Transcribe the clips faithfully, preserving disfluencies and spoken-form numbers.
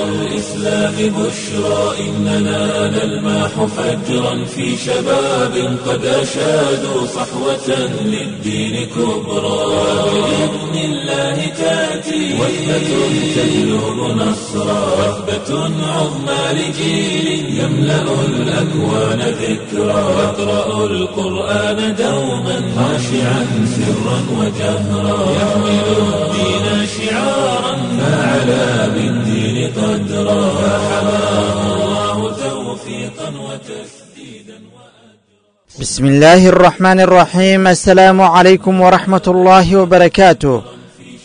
الإسلام بشرى إننا نلمح فجرا في شباب قد أشادوا صحوة للدين كبرى. بإذن الله تأتي وثبة تجلب نصرا، وثبة عظمى لجيل يملأ الأكوان ذكرى. يقرأ القرآن دوما خاشعا سرا وجهرا، يحمل الدين شعارا فعلى بالدين قدرا، فحماه الله توفيقا وتسديدا. بسم الله الرحمن الرحيم. Assalaamu calaykum waraxmat ullaahi wabarakaatu.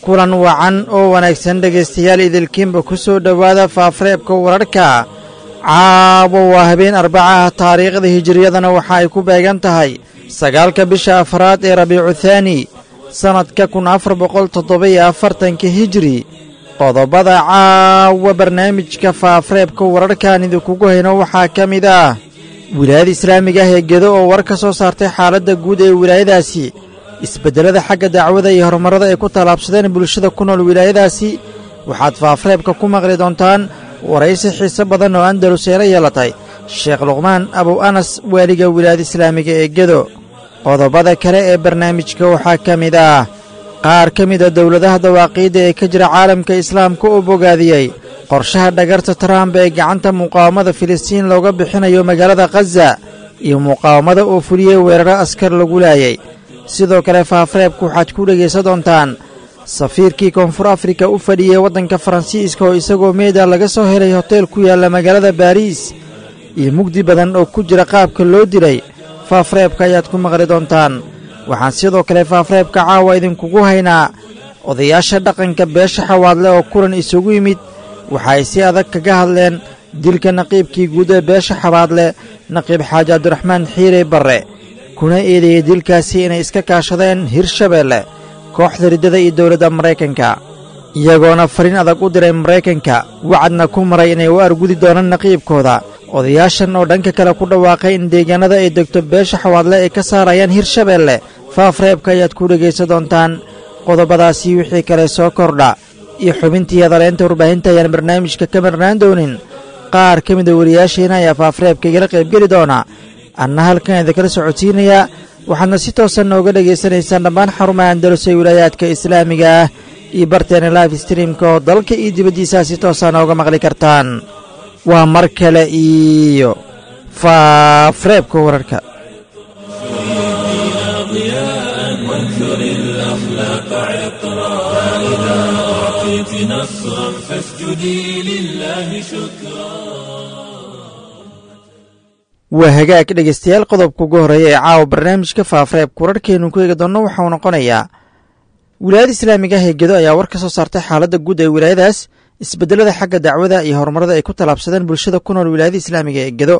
Kulan wacan oo wanaagsan dhegaystayaal, idilkiinba ku soo dhowaada faafareebka wararka. Caawa waa habeen arbacaha, taariikhda hijiriyadana waxa ay ku beegan tahay sagaalka bisha afraad ee Rabiicu Thaani, sannadka kun afar boqol toddoba-iyo afartanka hijiri. Qodobada caawa barnaamijka faafareebka wararkaan idinkugu hayno waxaa ka mid ah wilaayada islaamiga ah ee Gedo oo war ka soo saartay xaaladda guud ee wilaayadaasi, isbeddelada xagga dacwada iyo horumarrada ay ku tallaabsadeen bulshada ku nool wilaayadaasi. Waxaad faafareebka ku maqli doontaan waraysi xiise badan oo Andalus ee la yeelatay Sheekh Luqmaan Abow Anas, waaliga wilaayada islaamiga ee Gedo. Qodobada kale ee barnaamijka waxaa ka mid ah qaar ka mid a dowladaha dawaaqiidda ee ka jira caalamka islaamka oo bogaadiyey qorshaha dhagarta Trump ee gacanta muqaawamada Filistiin looga bixinayo magaalada Khaza, iyo muqaawamada oo fuliyey weeraro askar lagu laayay. Sidoo kale faafareebku waxaad ku dhegaysan doontaan safiirkii Koonfur Afrika u fadhiyey waddanka Faransiiska oo isagoo meeda laga soo helay hotel ku yaalla magaalada Baariis, iyo mugdi badan oo ku jira qaabka loo dilay. Faafareebka ayaad ku maqli doontaan. Waxaan sidoo kale faafareebka caawa idinkugu haynaa odayaasha dhaqanka beesha Xawaadle oo kulan isugu yimid. Waxa ay si adag kaga hadleen dilka naqiibkii guud ee beesha Xawaadle, Naqiib Xaaji Cabdiraxmaan Xiire Barre, kuna eedeeyey dilkaasi inay iska kaashadeen Hirshabeelle, kooxda riddada iyo dowladda Maraykanka, iyagoona fariin adag u diray Maraykanka, wacadna ku maray inay u argudi doonaan naqiibkooda. Odayaashan oo dhanka kale ku dhawaaqay in deegaanada ay degto beesha Xawaadle ay ka saarayaan Hirshabeelle. Faafreebka ayaad ku dhegaysan doontaan. Qodobadaasi wixii kale soo kordha iyo xubintii hadaleynta warbaahinta ayaan barnaamijka ka marnaan doonin. Qaar ka mida wariyaasheena ayaa faafareebka igala qaybgeli doona, anna halkan idinkala socodsiinayaa. Waxaadna si toosan nooga dhegaysanaysaan dhammaan xarumaha Andalus ee wilaayaadka islaamiga ah iyo barteena live streamka oo dalka iyo dibaddiisaa si toosa nooga maqli kartaan. Waa mar kale iyo faafareebka wararka. ضياء وانثر الأخلاق عطرا، فإذا أعطيت نصرا فاسجدي لله شكرا. Waa hagaag dhegaystayaal, qodobka ugu horreeya ee caawa barnaamijka faafareebka wararkeenu ku eegi doonno waxauu noqonayaa wilaayada islaamiga ah ee Gedo ayaa war ka soo saartay xaaladda guud ee wilaayadaas, isbeddelada xagga dacwada iyo horumarada ay ku tallaabsadeen bulshada ku nool wilaayada islaamiga ee Gedo.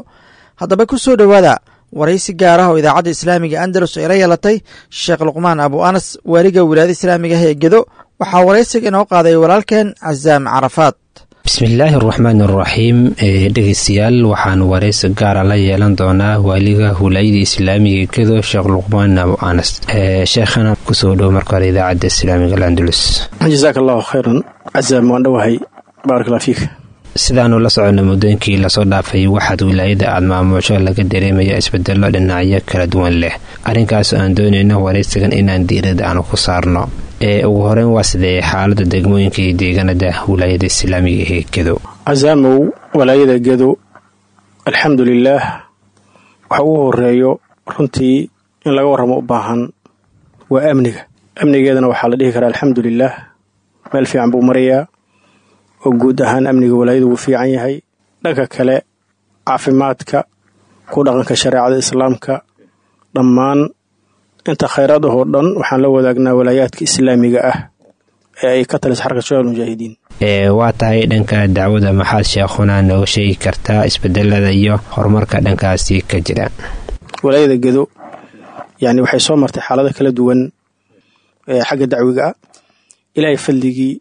Haddaba ku soo dhowaada waraysi gaar ah oo idaacadda islaamiga Andalus ay la yeelatay Sheekh Luqmaan Abu Anas, waaliga wilaayada islaamiga ah ee Gedo. Waxaa waraysiga inoo qaaday walaalkeen Casaam Carafaad. Bismillaahi araxmaan araxiim. Dhegeystayaal, waxaan waraysi gaara la yeelan doonaa waaliga wilaayada islaamiga Gedo, Sheekh Luqmaan Abu Anas. Sheekhana, kusoo dhow marka hore idaacadda islaamiga Alandalus. Jasaaka allahu khayran Casaam, waan dhowahay, baarak allah fiik. Sidaanu la soconay, muddooyinkii lasoo dhaafay waxaad wilaayada aad maamusho laga dareemaya isbedelo dhinacyo kala duwan leh. Arrinkaas aan doonayno waraysigan inaan diirada aanu ku saarno. Ee ugu horeyn, waa sidee xaalada degmooyinka iyo deegaanada wilaayada islaamiga ee Gedo? Casaamow, walaayada Gedo alxamdu lilaah, waxa ugu horeeyo runtii in laga warramo u baahan waa amniga. Amnigeedana waxaa la dhihi karaa alxamdu lilaah, meel fiican buu marayaa oo guud ahaan amniga walaayadu wuu fiican yahay. Dhanka kale, caafimaadka, ku dhaqanka shareecada islaamka, dhammaan inta khayraad ahoo dhan waxaan la wadaagnaa walaayaadka islaamiga ah ee ay ka talisa Xarka Shabaab Mujaahidiin. Ee waa tahay, dhanka dacwada maxaad sheekhuna nooga sheegi kartaa isbedelada iyo horumarka dhankaasi ka jira? Walaayada Gedo yani waxay soo martay xaalado kala duwan ee xagga dacwiga ah. Ilaahay fadligii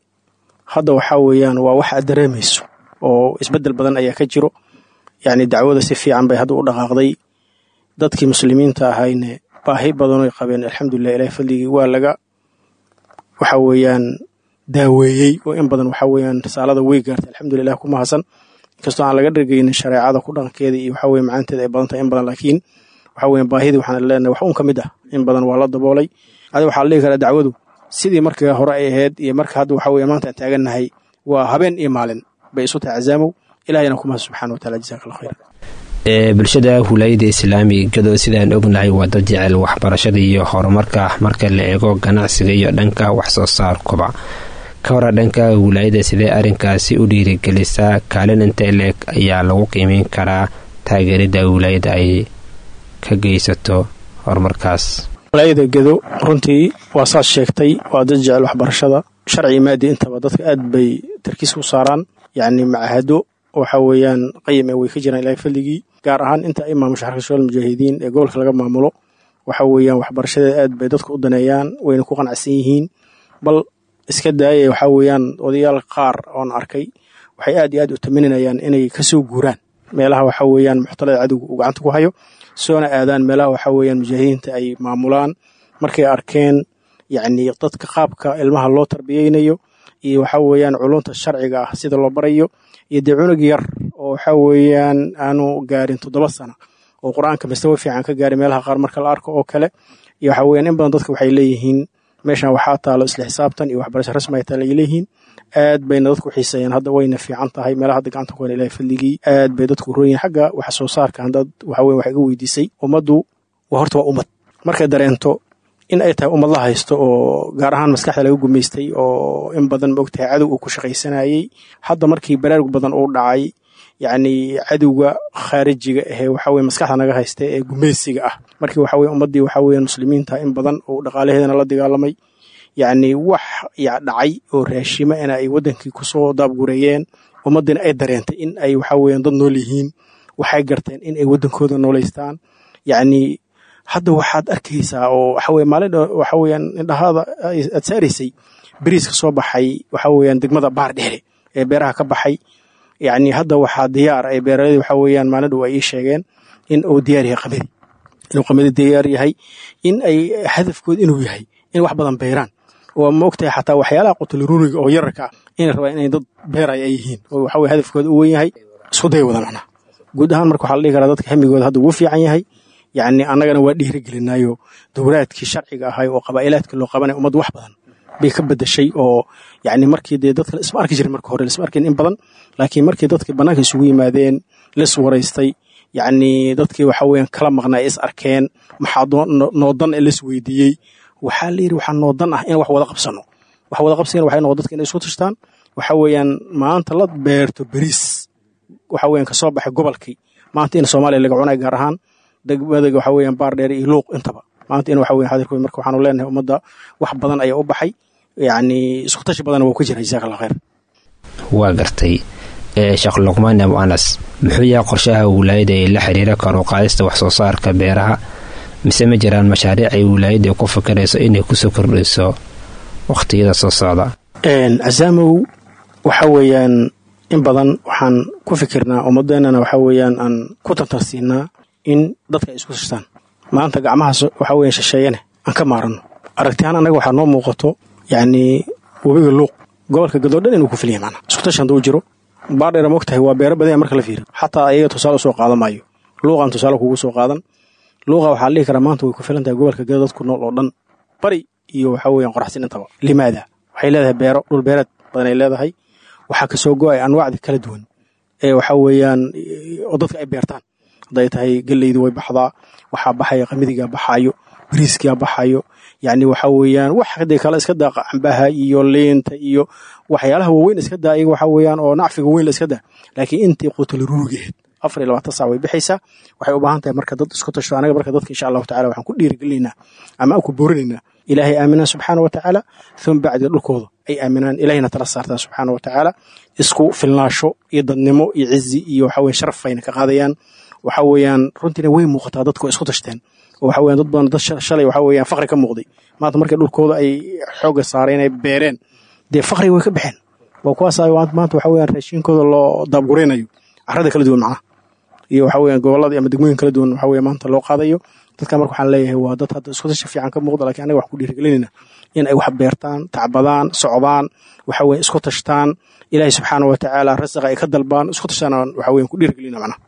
hadda waxaa weeyaan waa wax aad dareemayso oo isbedel badan ayaa ka jiro. Yacni dacwada si fiican bay hadda u dhaqaaqday. Dadkii muslimiinta ahayne baahi badan oy qabeen, alxamdulilah, ilahay fadligii waa laga waxa weeyaan Daaweeyey oo in badan waxaa weeyaan risaalada way gaartay, alxamdulilah, ku mahadsan. Inkastoo aan laga dhargeynin shareecada ku dhaqankeeda iyo waxaa weye macaanteeda ay badan tahay in badan, laakiin waxaa weeyaan baahidii waxaan leenahay wax uun ka mid ah in badan waa la daboolay. Adi waxaa la dhihi karaa dacwadu sidii markii hore ay ahayd iyo marka hadda waxaa weeye maanta aan taagannahay waa habeen iyo maalin bay isu tahay. Cazaamow, ilahayna ku mahad subxaana wa taala. Jazaak Allah khayr. Bulshada wilaayada islaamiga Gado sidaan ognahay waa dad jecel waxbarashada iyo horumarka marka la eego ganacsiga iyo dhanka waxsoo saarkuba. Ka hora dhanka wilaayada sidee arrinkaasi u dhiirigelisaa? Kaalin intee leeg ayaa lagu qiimeyn karaa taageerida wilaayada ay ka geysato horumarkaas? Wilaayada Gedo runtii waa saas sheegtay, waa dad jecel waxbarashada, sharci maadi intaba. Dadka aad bay tarkiis u saaraan, yacni macahado waxa weeyaan qayim ee way ka jiraan, Ilahay fadligii, gaar ahaan inta ay maamusho Xarka Shabaab Mujaahidiin ee gobolka laga maamulo. Waxa weeyaan waxbarashadeeda aad bay dadka u daneeyaan, wayna ku qanacsan yihiin. Bal iska daaya, waxaa weeyaan odayaal qaar oon arkay waxay aad iyo aad u tamaninayaan inay kasoo guuraan meelaha waxa weeyaan muxtalada cadowga uu gacanta ku hayo, soona aadaan meelaha waxa weeyaan mujaahidiinta ay maamulaan, markay arkeen yacni dadka qaabka ilmaha loo tarbiyeynayo iyo waxa weeyaan culunta sharciga ah sida loo barayo, iyo dee cunug yar oo waxa weeyaan aanu gaarin toddoba sana oo Qur-aanka mastawo fiican ka gaarin meelaha qaar marka la arko oo kale. Iyo waxa weeyaan in badan dadka waxay leeyihiin meeshan waxaa taalo isla xisaabtan iyo waxbarasho rasmi ay taalo ay leeyihiin. Aad bayna dadku xiiseeyaan hadda, wayna fiican tahay meelaha hadda gacanta ku hayna, Ilahay fadligii, aad bay dadku roon yihiin. Xagga wax soo saarka haddaad waxa weeye wax iga weydiisay, ummaddu waa horta waa ummad markay dareento in ay tahay ummad la haysto oo gaar ahaan maskaxda laga gumaystay oo in badan maogtahay cadow uu ku shaqaysanayay. Hadda markii baraarug badan uu dhacay, yacni cadowga khaarijiga ahee waxa weye maskaxda naga haysta ee gumaysiga ah, markii waxa weye ummaddii waxa weeyaan muslimiinta in badan oo dhaqaalaheedana la dagaalamay, yacni wax ya dhacay oo raashima in ay waddankii kusoo daabgureeyeen, ummaddiina ay dareentay in ay waxa weeyaan dad nool yihiin, waxay garteen in ay waddankooda noolaystaan. Yacni hadda waxaad arkaysaa oo waxa weye maalin waxa weeyaan indhahaada aad saaraysay beriiska soo baxay waxa weeyaan degmada Baar Dheere ee beeraha ka baxay. Yacni hadda waxaa diyaar ay beeraladii waxa weeyaan maalin dhow ay ii sheegeen in uu diyaar yahay qamadi, inuu qamadi diyaar yahay, in ay hadafkooda inuu yahay in wax badan beeraan oo ma ogtahay xataa waxyaalaha qutulruuriga oo yararka ah inay rabaan inay dad beeraya ay yihiin oo waxa weye hadafkooda u weyn yahay isku day wada macnaha. Guud ahaan marka waxaa la dhihi karaa dadka hamigooda hadda wuu fiican yahay. Yacni annagana waa dhiirigelinaayo dowlaadkii sharciga ahay oo qabaa'ilaadka loo qabanay ummadda wax badan bay ka bedeshay, oo yacni markii dee dadka isma arki jirin marka hore, lisma arkin in badan, laakiin markii dadkii bannaanka isugu yimaadeen, lis waraystay, yacni dadkii waxa weeyaan kala maqnaa ay is arkeen, maxaa noodan ee lis weydiiyey, waxaa la yidhi waxaa noodan ah in wax wada qabsano. Wax wada qabsigana waxay noqon dadka inay isku tashtaan. Waxa weeyaan maanta la beerto beriis waxa weeyaan kasoo baxay gobolkii, maanta in Soomaaliya laga cunay, gaar ahaan degmada waxa weeyaan Baar Dheer iyo Luuq intaba maanta in waxa weeyaan xadirkooda. Marka waxaanu leenahay ummadda wax badan ayaa u baxay, yacni isku tashi badan waa ku jira. Jazaak Allah khayr. Waa gartay. Sheekh Luqmaan Abu Anas, muxuu yahay qorshaha wilaayada ee la xiriira kor u qaadista wax soo saarka beeraha, mise ma jiraan mashaariic ay wilaayada ku fikirayso inay kusoo kordhiso waqtiyada soo socda? Casaamow, waxa weeyaan in badan waxaan ku fikirnaa ummadeennana waxa weeyaan aan ku tartarsiinaa in dadka ay isku tashtaan, maanta gacmaha waxa weeyaan shisheeyane aan ka maarano. Aragtihaan annaga waxaa noo muuqato yacni webiga Luuq gobolka Gadoo dhan inuu ku filaya macnaha isku tashi hadduu jiro. Baardheera mogtahay waa beero badan marka la fiiriyo, xataa ayaga tusaale usoo qaadan maayo, Luuqaan tusaale kugu soo qaadan. Luuqa waxaa la dhihi karaa maanta way ku filan tahay gobolka Gado dadku nool oo dhan, bari iyo waxa weeyaan qoraxsin intaba. Limaada? Waxay leedahay beero, dhul beereed badan ay leedahay. Waxaa kasoo go-ay anwaacda kala duwan ee waxa weeyaan oo dadka ay beertaan. Hadday tahay geleydu way baxdaa, waxaa baxaya qamidigaa baxaayo, bariiskaa baxayo, yacni waxa weeyaan wax hadee kale iska daa, cambaha iyo liinta iyo waxyaalaha waaweyn iska daa iyaga waxa weeyaan oo nacfiga weyn la iska daa, laakiin intii quutulruurigeed afar iyo labaatan saac way bixaysaa. Waxay u baahan tahay marka dad isku tashto. Anaga marka dadka insha Allahu tacala waxaan ku dhiirigelinaynaa ama aan ku boorinaynaa Ilaahay aaminaan subxaana wa tacaala, thuma bacdiga dhulkooda ay aaminaan, Ilaahayna tala saartaan subxaana wa tacaala. Isku filnaasho iyo dadnimo iyo cizi iyo waxa weye sharaf ayna ka qaadayaan. Waxa weeyaan runtiina way muuqataa dadku way isku tashteen oo waxa weeyaan dad badan, dad shalay waxa weeyaan faqri ka muuqday, maanta markay dhulkooda ay xoogga saareen ay beereen, dee faqriga way ka baxeen. Waa kuwaas maanta waxa weeyaan raashinkooda loo daabguraynayo carrada kala duwan macnaha iyo waxa weeyaan gobollada ama degmooyin kala duwan waxa weeye maanta loo qaadayo. Dadka marka waxaan leeyahay waa dad hadda isku tashi fiican ka muuqda, laakiin anaga wax ku dhiirigelinayna in ay wax beertaan, tacbadaan, socdaan, waxa weeye isku tashtaan, Ilaahay subxaanahu wa tacaala rasaqa ay ka dalbaan, isku tashtaan waxa weeye ku dhiirigelinayna macnaha.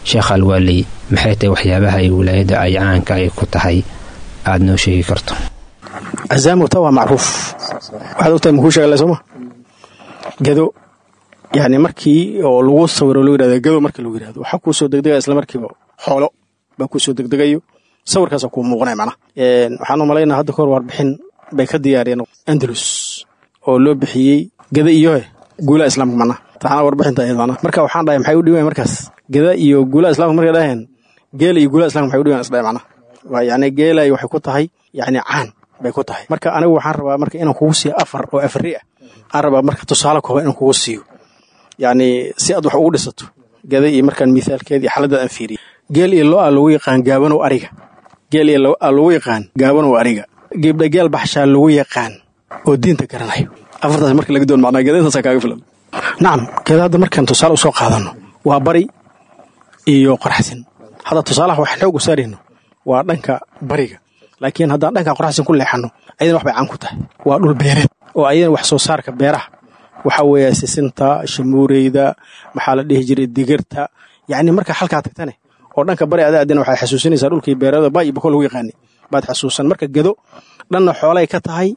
Sheekh Alwaaley, maxay tahay waxyaabaha ay wilaayada ay caanka ay ku tahay aad noo sheegi karto? Azaamu ta waa macruuf, waxaad ogtahay makuu sheegale sooma gado, yani markii oo lagu sawiro loo yirahdo gado, markii lagu yirahdo waxaa kuu soo degdegaya isla markiiba xoolo baa kuu soo degdegayo, sawirkaasa kuu muuqanaya macnaha. Waxaan u malaynaa hadda kahor warbixin bay ka diyaariyeen Andalus oo loo bixiyey gada iyo guulaha islaamka macnaha, taxana warbixinta ahayd macnaha. Marka waxaan dhahay maxay u dhiween markaas gada iyo guulaha islaamka, markay dhaheen geela iyo guulaha islaamka maxay u dhiween isdhahay macnaha. Waa yacni geelay waxay ku tahay yacni caan bay ku tahay. Marka anigu waxaan rabaa marka inaan kugu siiyo afar oo afari ah, aan rabaa marka tusaale kooban inaan kugu siiyo, yacni si aad wax ugu dhisato gada iyo markaan mithaalkeed iyo xaaladda aan fiiriyo. Geel iyo lo-a lagu yaqaan gaabanow ariga, geel iyo lo-a lagu yaqaan gaabanow ariga, gebdha geel baxshaa lagu yaqaan oo diinta garanayo. Afartaas marka laga doon macnaa gada intaasaa kaaga filan. Nacam, gada hadda markaan tusaale usoo qaadano waa bari iyo qoraxsin. Hadda tusaalaha waxaan xoog u saarayno waa dhanka bariga, laakiin haddaan dhanka qoraxsin ku leexano ayadana wax bay caan ku tahay, waa dhul beereed oo ayadana wax soo saarka beeraha waxaa weeye sisinta, shamuureyda, maxaa la dhihi jiray digirta. Yacni marka halkaa tagtane oo dhanka bari adaa adina waxaad xasuusinaysaa dhulkii beerada bay iyo bako lagu yaqaanay baad xasuusan. Marka gado dhanna xoolay ka tahay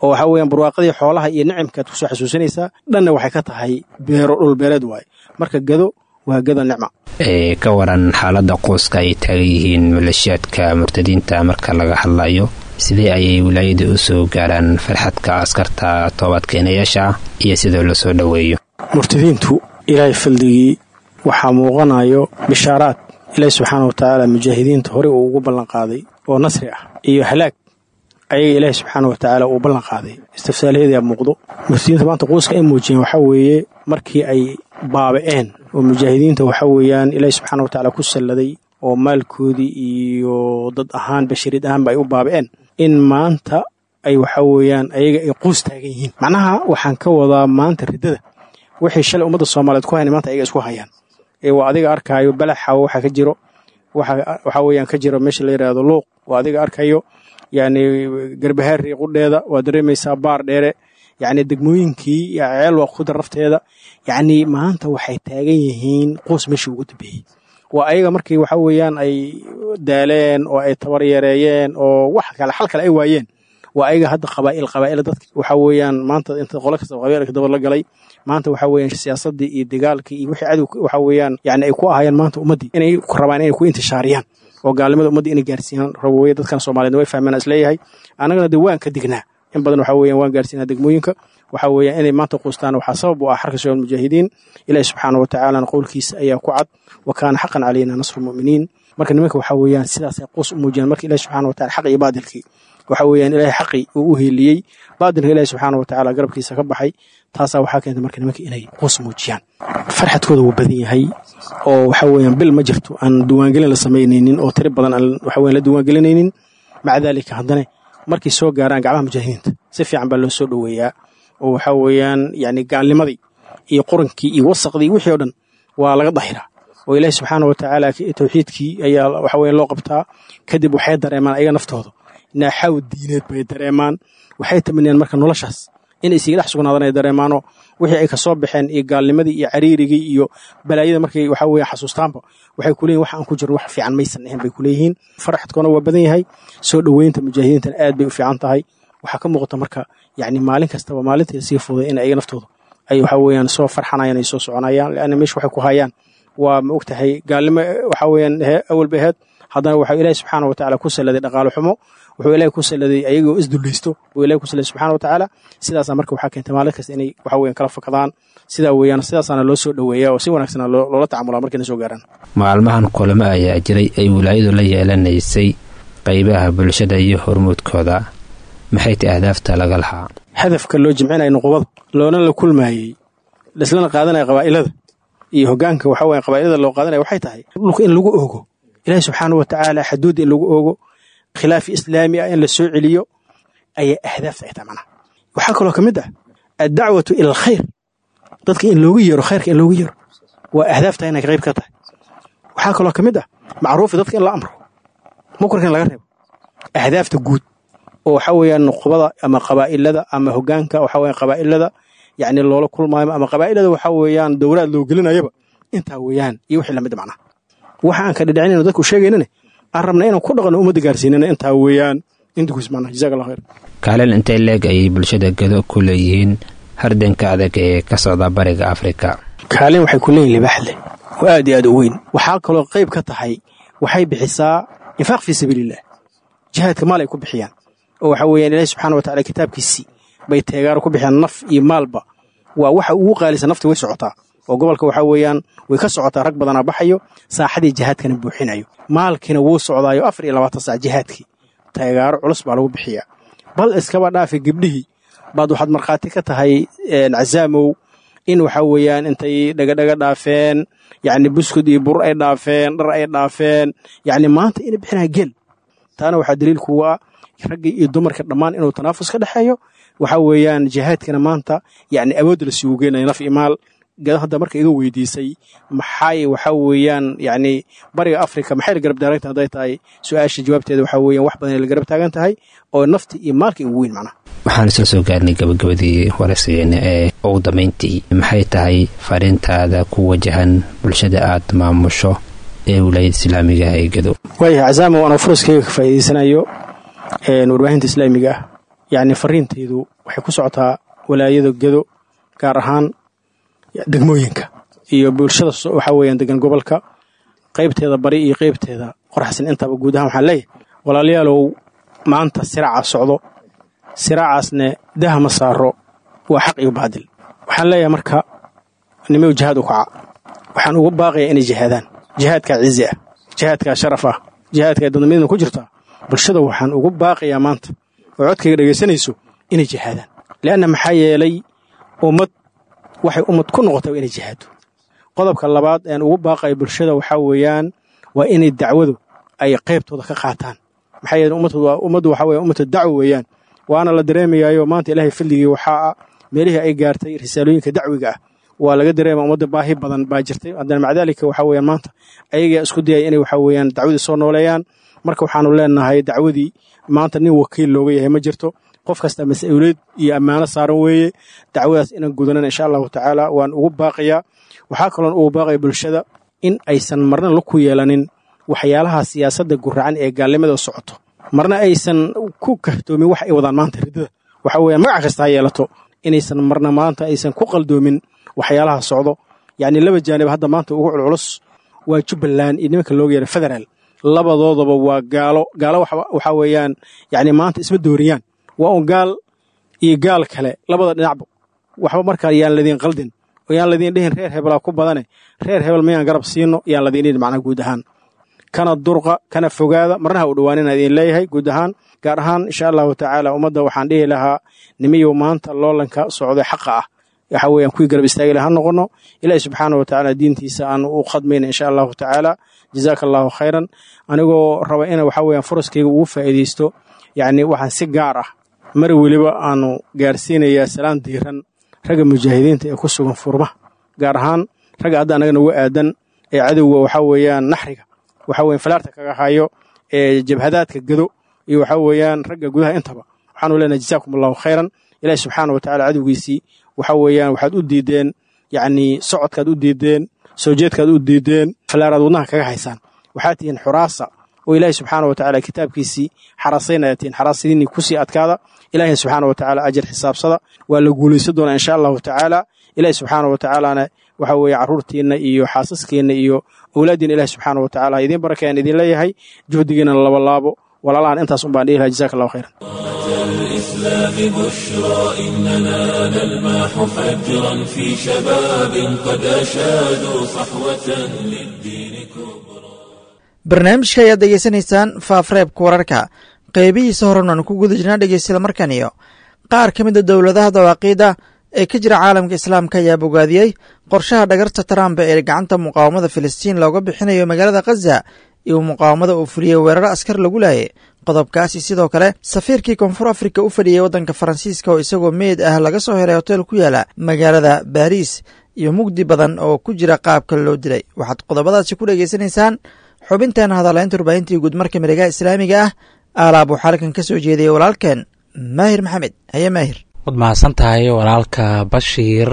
oo waxaa weeyaan barwaaqadii xoolaha iyo nicamkaad kusoo xasuusinaysaa, dhanna waxay ka tahay beero, dhul beereed waaye. Marka gado waa gado nicma. Ee ka waran xaaladda qoyska ay taagan yihiin maleeshiyaadka murtadiinta marka laga hadlayo, sidee ayay wilaayada u soo gaaraan farxadka askarta toobadkeenayaasha iyo sidoo loo soo dhoweeyo? Murtadiintu Ilaahay faldigii waxaa muuqanayo bishaaraad Ilaahay subxaanahu wa tacaala mujaahidiinta horey uu ugu ballan qaaday oo nasri ah iyo halaag ayaga Ilaahay subxaanahu wa tacaala uu ballan qaaday, istifsaalaheedaa muuqdo. Murtadiinta maanta quuska ay muujiyeen waxaa weeye markii ay baaba'een oo mujaahidiinta waxaa weeyaan Ilaahay subxaanahu wa tacaala ku salladay oo maalkoodii iyo dad ahaan bashariyad ahaanba ay u baaba'een, in maanta ay waxaa weeyaan ayaga ay quus taagan yihiin. Macnaha waxaan ka wadaa maanta riddada waxay shalay ummadda Soomaaliyeed ku hayan maanta ayaga isku hayaan. Ee waa adiga arkaayo balaxa waxa ka jiro, waxa waxa weeyaan ka jiro meesha la yiraahdo Luuq, waa adiga arkayo yacni Garbahaari qudheeda waa dareemaysaa, Baar Dheere, yacni degmooyinkii ceel waa ku darafteeda. Yacni maanta waxay taagan yihiin quus meeshii ugu dambeeyey. Waa ayaga markii waxa weeyaan ay daaleen oo ay tabar yareeyeen oo wax kale xal kale ay waayeen, waa ayaga hadda qabaa'il qabaa'il dadka waxa weeyaan maanta inta qolo kasta qabaa'ilka daba la galay. Maanta waxa weeyaan siyaasaddii iyo dagaalkii iyo wixii cadow waxa weeyaan yacni ay ku ahaayeen maanta ummaddii inay rabaan inay ku intishaariyaan oo gaalnimada ummaddii inay gaarsiiyaan rabo weeye. Dadkan Soomaaliyeed way fahmeen isleeyahay, annagana dee waan ka dignaa in badan, waxa weeyaan waan gaarsiinaa degmooyinka. Waxa weeyaan inay maanta quustaan waxaa sabab u ah xarka soo mujaahidiin. Ilaahay subxaanahu wa tacaala qowlkiisa ayaa ku cad, wa kaana xaqan calayna nasru mu'miniin. Marka nimanka waxa weeyaan sidaas ay quus u muujiyaan. Marka Ilaahay subxaanahu wa tacaala xaq iyo baadilkii waxa weeyaan Ilaahay xaqii uu u heliyey, baadilka Ilaahay subxaanahu wa tacaala garabkiisa ka baxay, taasaa waxaa keentay marka nimanka inay quus muujiyaan. Farxadkooda wuu badan yahay oo waxa weeyaan bil ma jirto aan diiwaangelin la samaynaynin oo tiro badan aan waxa weeyaan la diiwaangelinaynin. Maca daalika haddana markay soo gaaraan gacmaha mujaahidiinta si fiican baa loo soo dhoweeyaa oo waxa weeyaan yacni gaalnimadii iyo qurankii iyo wasaqdii wixii oo dhan waa laga dahiraa oo Ilaahay subxaanahu wa tacaala tawxiidkii ayaa waxa weeyaan loo qabtaa. Kadib waxay dareemaan ayaga naftooda naaxaw diineed bay dareemaan, waxay tamaniyaan marka noloshaas inay isiga dhex sugnaadaan ay dareemaanoo wixii ay kasoo baxeen iyo gaalnimadii iyo cariirigii iyo balaayada markay waxa weeye xasuustaanba waxay kuleeyihin wax aan ku jirno wax fiican maysan ahayn bay kuleeyihiin. Farxadkoona waa badan yahay, soo dhoweynta mujaahidiintana aad bay u fiican tahay. Waxaa ka muuqata marka yacni maalin kastaba maalintii sii fuday in ayaga naftooda ay waxa weeyaan soo farxanayaan ay soo soconayaan, lianna meesha waxay ku hayaan waa ma ogtahay gaalnimo waxa weeyaan awal bay ahayd, haddana waxaa Ilaahay subxaanahu wa tacaala ku salladay dhaqaale xumo, wuxuu Ilaahay ku salladay ayagoo isdullaysto buu Ilaahay ku salladay subxaanahu wa tacaala. Sidaasaa marka waxaa keentay maalin kasta inay waxa weeyaan kala fakadaan, sidaa weeyaan sidaasaana loo soo dhoweeyaa oo si wanaagsan loola tacamulaa markayna soo gaaraan. Maalmahan kulamo ayaa jiray ay wilaayadu la yeelanaysay qaybaha bulshada iyo hormuudkooda, maxay tahay ahdaafta laga lahaa? Hadafka loo jimcinaya nuqubada loona la kulmaayey laislana qaadanaya qabaa'ilada iyo hoggaanka waxa weeyaan qabaa'ilada loo qaadanaya waxay tahay dhulka in lagu oogo Ilaahay subxaanahu wa tacaala xaduudda in lagu oogo, khilaaf islaami ah in la soo celiyo ayaa ahdaafta ay tahay macnaha. Waxaa kaloo ka mid ah addacwatu ila alkhayr, dadka in loogu yeero khayrka in loogu yeero waa ahdaafta inay qayb ka tahay. Waxaa kaloo ka mid ah macruufi dadka in la amro, Munkarka in laga reebo ahdaafta guud oo waxa weeyaan nuqbada ama qabaa'ilada ama hogaanka waxa weeyaan qabaa'ilada yacni loola kulmaayo ama qabaa'ilada waxa weeyaan dowlaad loo gelinayaba intaa weeyaan iyo wixii lamid macnaha. Waxa aan ka dhidhicinayno dadku sheegaynana aan rabna inaan ku dhaqano ummadda gaarsiinana intaa weeyaan intakuis macnaha. Jazaak Allah khayr. Kaalin intay leeg ayay bulshada Gado ku leeyihiin hardanka adag ee ka socda bariga Afrika? Kaalin waxay ku leeyihin libaax leh oo aad iyo aad u weyn. Waxaa kaloo qayb ka tahay waxay bixisaa infaaq fii sabiiliillah, jihaadka maal ay ku bixiyaan oo waxa weeyaan Ilaahi subxaana wa tacala kitaabkiisii bay teegaaro ku bixiyaan naf iyo maalba. Waa waxa ugu qaalisan, nafti way socotaa oo gobolka waxa weeyaan way ka socotaa, rag badanaa baxayo saaxadii jihaadkana buuxinayo, maalkiina wuu socdaayo afar iyo labaatan saac jihaadkii teegaaro culus baa lagu bixiyaa. Bal iskaba dhaafi gabdhihii baad waxaad markhaati ka tahay Cazaamow in waxa weeyaan intay dhagadhaga dhaafeen, yacni buskud iyo bur ay dhaafeen, dhar ay dhaafeen, yacni maanta inay bixinaya geel. Taana waxaa daliil kuga ah raggii iyo dumarka dhammaan inuu tanaafus ka dhexeeyo. Waxa weeyaan jihaadkana maanta yacni awoodda la sugu geenayo naf iyo maal. Gado hadda marka iga weydiisay maxay waxa weeyaan yacni bariga Afrika maxay la garab taagan tahay, hadday tahay su-aasha jawaabteeda waxa weeyaan wax badan ay la garab taagan tahay oo nafti iyo maalka ugu weyn macnaha. Waxaan isla soo gaarnay gabagabadii waraysigeena ee ugu dambeyntii. Maxay tahay fariintaada ku wajahan bulshada aad maamusho ee wilaayada islaamiga ah ee Gado? Waayahay Cazaamo, anoo furaskayga ka faa'iidaysanayo warbaahinta islaamiga ah, yacni fariintaydu waxay ku socotaa walaayada Gado, gaar ahaan degmooyinka iyo bulshada waxa weeyaan degan gobolka qaybteeda bari iyo qaybteeda qoraxsan intaba. Guud ahaan waxaan leeyahay walaalayaalow, maanta siraaca socdo, siraacaasne daha ma saaro, waa xaq iyo baadil. Waxaan leeyahay marka nimaw jihaad u kaca, waxaan ugu baaqayaa inay jihaadaan. Jihaadkaa cizi ah, jihaadkaa sharaf ah, jihaadkaa dadnimada ku jirtaa. Bulshada waxaan ugu baaqayaa maanta oo codkayga dhegaysanayso inay jihaadaan, li'anna maxaa yeelay ummad waxay ummad ku noqotay waa inay jihaado. Qodobka labaad een ugu baaqayo bulshada waxaa weeyaan waa inay dacwadu ay qaybtooda ka qaataan. Maxaa yeelay ummaddu waa ummaddu waxa weeyaan ummadu dacwo weeyaan, waana la dareemayaayo maanta Ilaahay fadligii waxaa ah meelihii ay gaartay risaalooyinka dacwiga ah waa laga dareema ummadda baahi badan baa jirtay. Haddana maca daalika waxa weeyaan maanta ayagaa isku dayaya inay waxa weeyaan dacwadii soo nooleeyaan. Marka waxaanu leenahay dacwadii maanta nin wakiil looga yahay ma jirto, qof kasta mas-uuliyad iyo ammaano saaran weeye. Dacwadaas inaan gudanana insha allahu tacaala waan ugu baaqayaa. Waxaa kaloon ugu baaqaya bulshada in aysan marna la ku yeelanin waxyaalaha siyaasadda guracan ee gaalnimada socoto, marna aysan ku kahtoomin wax ay wadaan maanta riddada. Waxa weeyaan magac kasta ha yeelato, inaysan marna maanta aysan ku qaldoomin waxyaalaha socdo. Yacni laba jaanib hadda maanta ugu culculus waa Jubbaland iyo nimanka looga yeeray federaal, labadoodaba waa gaalo. Gaalo waxa weeyaan yacni maanta isma dooriyaan, waa un gaal iyo gaal kale labada dhinacba. Waxba markaa yaan ladin qaldin oo yaan ladin dhihin reer hebelaa ku badane, reer hebel miyaan garab siino, yaan ladin dhihin macnaha. Guud ahaan kana durqa kana fogaada, marna ha u dhowaanina idin leeyahay guud ahaan. Gaar ahaan insha allahu tacaala ummadda waxaan dhihi lahaa nimiyow maanta loolanka socday xaqa ah waxa weeyaan kuwii garab istaagi laha noqono, Ilaahi subxaana wa tacaala diintiisa aan u khadmayna insha allahu tacaala. Jazaaka allahu khayran. Anigoo raba ina waxa weeyaan furaskayga ugu faa'iidaysto, yacni waxaan si gaar ah mar weliba aanu gaarsiinayaa salaan diiran ragga mujaahidiinta ee ku sugan furmaha, gaar ahaan ragga hadda annaga nagu aadan ee cadowga waxa weeyaan naxriga waxa weeyaan falaarta kaga hayo ee jabhadaadka Gado iyo waxa weeyaan ragga gudaha intaba. Waxaanu leenahay jazaakum allahu khayran. Ilaahi subxaana wa tacaala cadowgiisii waxa weeyaan waxaad u diideen, yacni socodkaad u diideen, soo jeedkaad u diideen, falaaraad wadnaha kaga haysaan. Waxaad tihiin xuraasa oo Ilaahi subxaana wa tacaala kitaabkiisii xarasaynaya tihiin, xaraasadiinii kusii adkaada. Ilaahi subxaana wa tacaala ajar xisaabsada, waa la guulaysan doonaa insha allahu tacaala. Ilaahi subxaana wa tacaalana waxa weeye carruurtiinna iyo xaasaskiinna iyo awlaaddiina Ilaahi subxaana wa tacaala ha idiin barakeeyaan idin leeyahay, juhdigiinna laba laabo. Walaalahan intaas un baan dhihi lahaa. Jazaaka allahu khayran. الإسلام بشرى إننا نلمح فجرا في شباب قد أشادوا صحوة للدين كبرى. Barnaamijka ayaad dhegeysanaysaan faafreebka wararka, qeybihiisa horan aan ku guda jirnaa dhegeystayaal. Markan iyo qaar ka mid a dowladaha dawaaqiidda ee ka jira caalamka islaamka ayaa bogaadiyey qorshaha dhagarta Trump ee gacanta muqaawamada Filistiin looga bixinayo magaalada Khaza iyo muqaawamada uu fuliyey weeraro askar lagu laayay. Qodobkaasi sidoo kale safiirkii Koonfur Afrika u fadhiyey waddanka Faransiiska oo isagoo meed ah laga soo helay hotel ku yaala magaalada Baariis iyo mugdi badan oo ku jira qaabka loo dilay. Waxaad qodobadaasi ku dhegeysanaysaan Xubintan hadalaynta warbaahintii guud marka miregaha islaamiga ah aalaab waxaa halkan ka soo jeediyay walaalkeen Maahir Maxamed. Haye Maahir. Waad mahadsan tahay walaalka Bashiir.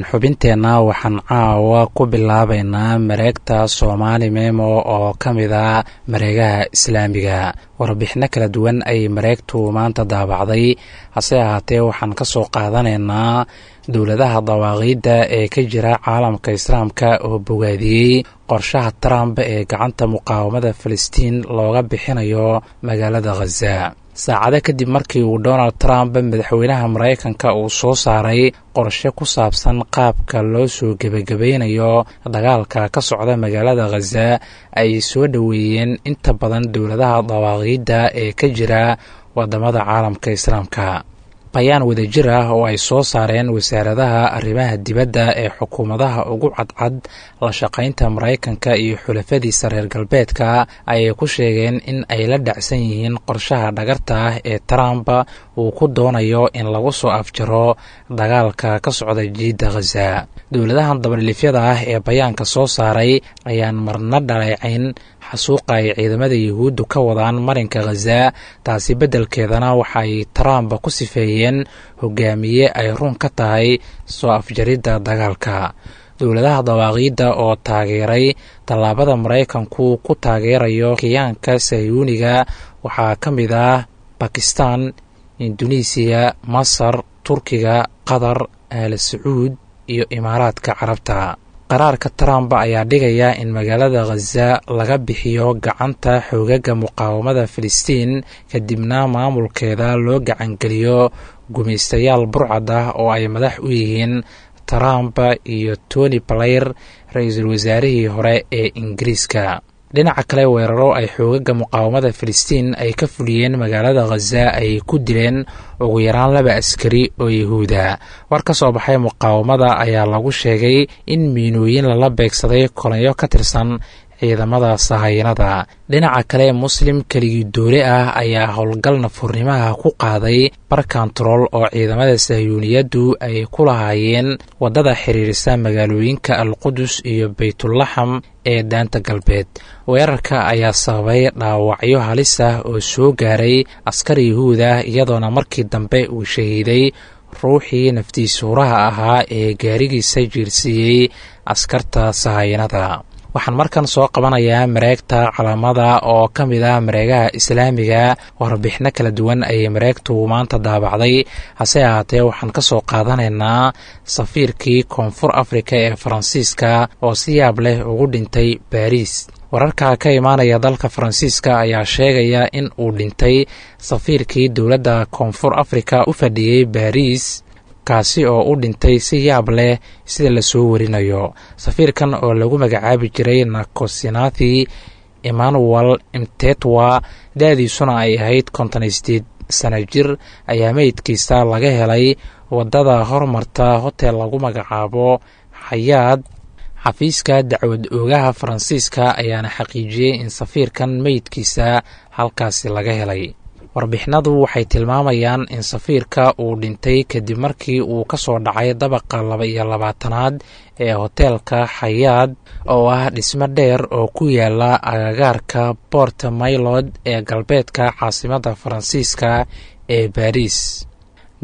Xubinteenna waxaan caawa ku bilaabeynaa mareegta Soomaali Memo oo ka mid ah mareegaha islaamiga. Warbixino kala duwan ayay mareegtu maanta daabacday, hase ahaatee waxaan ka soo qaadanaynaa dowladaha dawaaqiidda ee ka jira caalamka islaamka oo bogaadiyey qorshaha Trump ee gacanta muqaawamada Filistiin looga bixinayo magaalada Khaza. Saacado kadib markii uu Donald Trump, madaxweynaha Maraykanka, uu soo saaray qorshe ku saabsan qaabka loo soo gebagabaynayo dagaalka ka socda magaalada Khaza, ay soo dhoweeyeen inta badan dowladaha dawaaqiidda ee ka jira wadamada caalamka islaamka. Bayaan wadajir ah oo ay soo saareen wasaaradaha arrimaha dibadda ee xukuumadaha ugu cadcad la shaqaynta Maraykanka iyo xulafadiisa reer galbeedka ayay ku sheegeen in ay la dhacsan yihiin qorshaha dhagarta ah ee Trump uu ku doonayo in lagu soo afjaro dagaalka ka socda jiidda Khaza. Dowladahan dabadhilifyada ah ee bayaanka soo saaray ayaan marna dhaleecayn xasuuqa ay ciidamada Yuhuuddu ka wadaan marinka Khaza, taasi beddelkeedana waxaay Trump ku sifeeyeen hogaamiye ay run ka tahay soo afjaridda dagaalka. Dowladaha dawaaqiidda oo taageeray tallaabada Maraykanku ku taageerayo khiyaanka Sayuuniga waxaa ka mid ah Bakistan, Induneisiya, Masar, Turkiga, Qatar, Aala Sacuud iyo Imaaraadka Carabta. Qaraarka Trump ayaa dhigaya in magaalada Khaza laga bixiyo gacanta xoogaga muqaawamada Filistiin, kadibna maamulkeeda loo gacangeliyo gumaystayaal burcad ah oo ay madax u yihiin Trump iyo Tony Blair, ra-iisul wasaarihii hore ee Ingiriiska. Dhinaca kale, weeraro ay xoogaga muqaawamada Filistiin ay ka fuliyeen magaalada Khaza ay ku dileen ugu yaraan laba askari oo Yahuuda. War ka soo baxay muqaawamada ayaa lagu sheegay in miinooyin lala beegsaday kolonyo ka tirsan ciidamada sahayanada. Dhinaca kale, Muslim keligii doole ah ayaa howlgal nafurnimaha ku qaaday barkantarool oo ciidamada Sahyuuniyaddu ay ku lahaayeen waddada xiriirisa magaalooyinka Alqudus iyo Baytulaxam ee Daanta Galbeed. Weerarka ayaa sababay dhaawacyo halis ah oo soo gaaray askar Yuhuud ah, iyadoona markii dambe uu shahiiday ruuxii naftiisuuraha ahaa ee gaarigiisa jiirsiiyey askarta sahayanada. Waxaan markan soo qabanayaa mareegta Calaamada oo ka mid ah mareegaha islaamiga. Warbixino kala duwan ayay mareegtu maanta daabacday, hase ahaatee waxaan ka soo qaadanaynaa safiirkii Koonfur Afrika ee Faransiiska oo si yaab leh ugu dhintay Baariis. Wararka ka imaanaya dalka Faransiiska ayaa sheegaya in uu dhintay safiirkii dowladda Koonfur Afrika u fadhiyey Baariis, kaasi oo u dhintay si yaab leh sida lasoo warinayo. Safiirkan oo lagu magacaabi jiray Nakosinathi Emmanuel Mtetwa, da-diisuna ay ahayd konton iyo sideed sana jir, ayaa meydkiisa laga helay waddada hormarta hotel lagu magacaabo Xayaad. Xafiiska dacwad oogaha Faransiiska ayaana xaqiijiyey in safiirkan meydkiisa halkaasi laga helay. Warbixinadu waxay tilmaamayaan in safiirka uu dhintay kadib markii uu ka soo dhacay dabaqa laba iyo labaatanaad ee hoteelka Xayaad, oo ah dhismo dheer oo ku yaala agagaarka Port Maylod ee galbeedka caasimadda Faransiiska ee Baariis.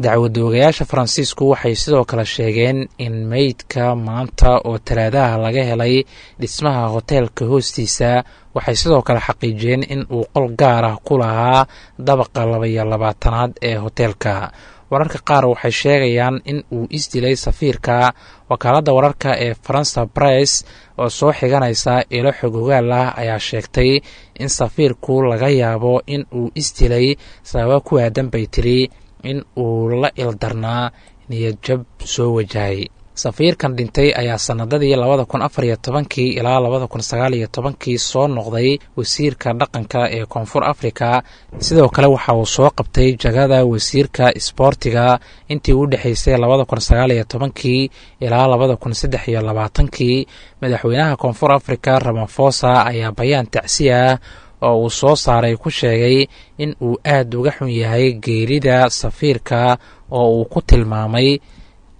Dacwad oogayaasha Faransiisku waxay sidoo kale sheegeen in meydka maanta oo Talaadaha laga helay dhismaha hoteelka hoostiisa. Waxay sidoo kale xaqiijiyeen in uu qol gaar ah ku lahaa dabaqa laba iyo labaatanaad ee hoteelka. Wararka qaar waxay sheegayaan in uu isdilay safiirka. Wakaaladda wararka ee Faransa Press oo soo xiganaysa ilo xogogaal ah ayaa sheegtay in safiirku laga yaabo in uu isdilay sababo ku aadan, bay tiri, in uu la ildarnaa niyadjab soo wajahay. Safiirkan dhintay ayaa sanadadii labada kun afar iyo tobankii ilaa labada kun sagaal iyo tobankii soo noqday wasiirka dhaqanka ee Koonfur Afrika. Sidoo kale waxa uu soo qabtay jagada wasiirka isboortiga intii u dhexeysay labada kun sagaal iyo tobankii ilaa labada kun saddex iyo labaatankii. Madaxweynaha Koonfur Afrika Ramafosa ayaa bayaan tacsi ah oo uu soo saaray ku sheegay in uu aad uga xun yahay geerida safiirka, oo uu ku tilmaamay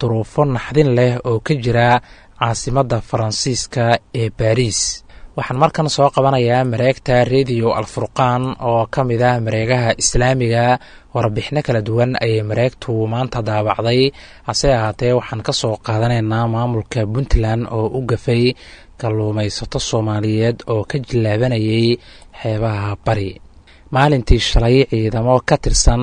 duruufo naxdin leh oo ka jira caasimadda Faransiiska ee Baariis. Waxaan markan soo qabanayaa mareegta Rediyo Alfurqaan oo ka mid ah mareegaha islaamiga. Warbixino kala duwan ayay mareegtu maanta daabacday, hase ahaatee waxaan ka soo qaadanaynaa maamulka Puntland oo u gafay kalluumaysato Soomaaliyeed oo ka jilaabanayay xeebaha Bari. Maalintii shalay ciidamo ka tirsan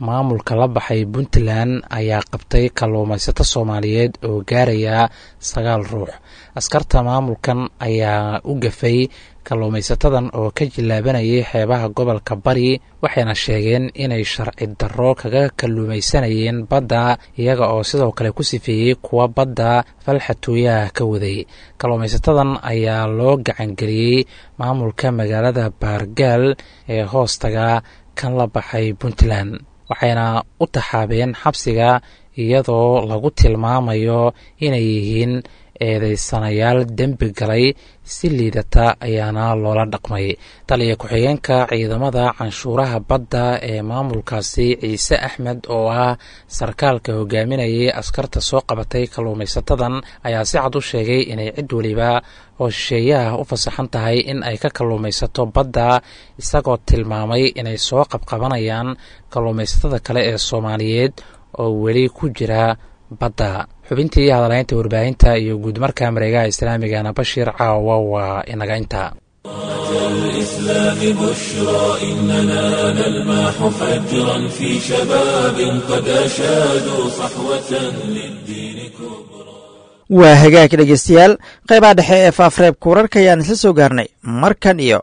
maamulka la baxay Puntland ayaa qabtay kalluumaysato Soomaaliyeed oo gaaraya sagaal ruux. Askarta maamulkan ayaa u gafay kalluumaysatadan oo ka jilaabanayay xeebaha gobolka Bari, waxayna sheegeen inay sharci darro kaga kalluumaysanayeen badda, iyaga oo sidoo kale ku sifeeyey kuwa badda falxatooyaha ka waday. Kalluumaysatadan ayaa loo gacangeliyey maamulka magaalada Baargaal ee hoostaga kan la baxay Puntland, waxayna u taxaabeen xabsiga iyadoo lagu tilmaamayo inay yihiin eedeysanayaal dembi galay. Si liidata ayaana loola dhaqmay. Taliya ku-xigeenka ciidamada canshuuraha badda ee maamulkaasi, Ciise Axmed, oo ah sarkaalka hogaaminayay askarta soo qabatay kalluumaysatadan, ayaa si cad u sheegay inay cid weliba oo shisheeyaha u fasaxan tahay in ay ka kalluumaysato badda, isagoo tilmaamay inay soo qabqabanayaan kalluumaysatada kale ee Soomaaliyeed oo weli ku jira badda. Xubintii hadalaynta warbaahinta iyo guudmarka mareegaha islaamigana, Bashiir, caawa waa inaga intaa. الإسلام بشرى إننا نلمح فجرا في شباب قد أشادوا صحوة للدين كبرى. Waa hagaag dhegeystayaal, qaybaha dhexe ee faafreebka wararka ayaan isla soo gaarnay. Markan iyo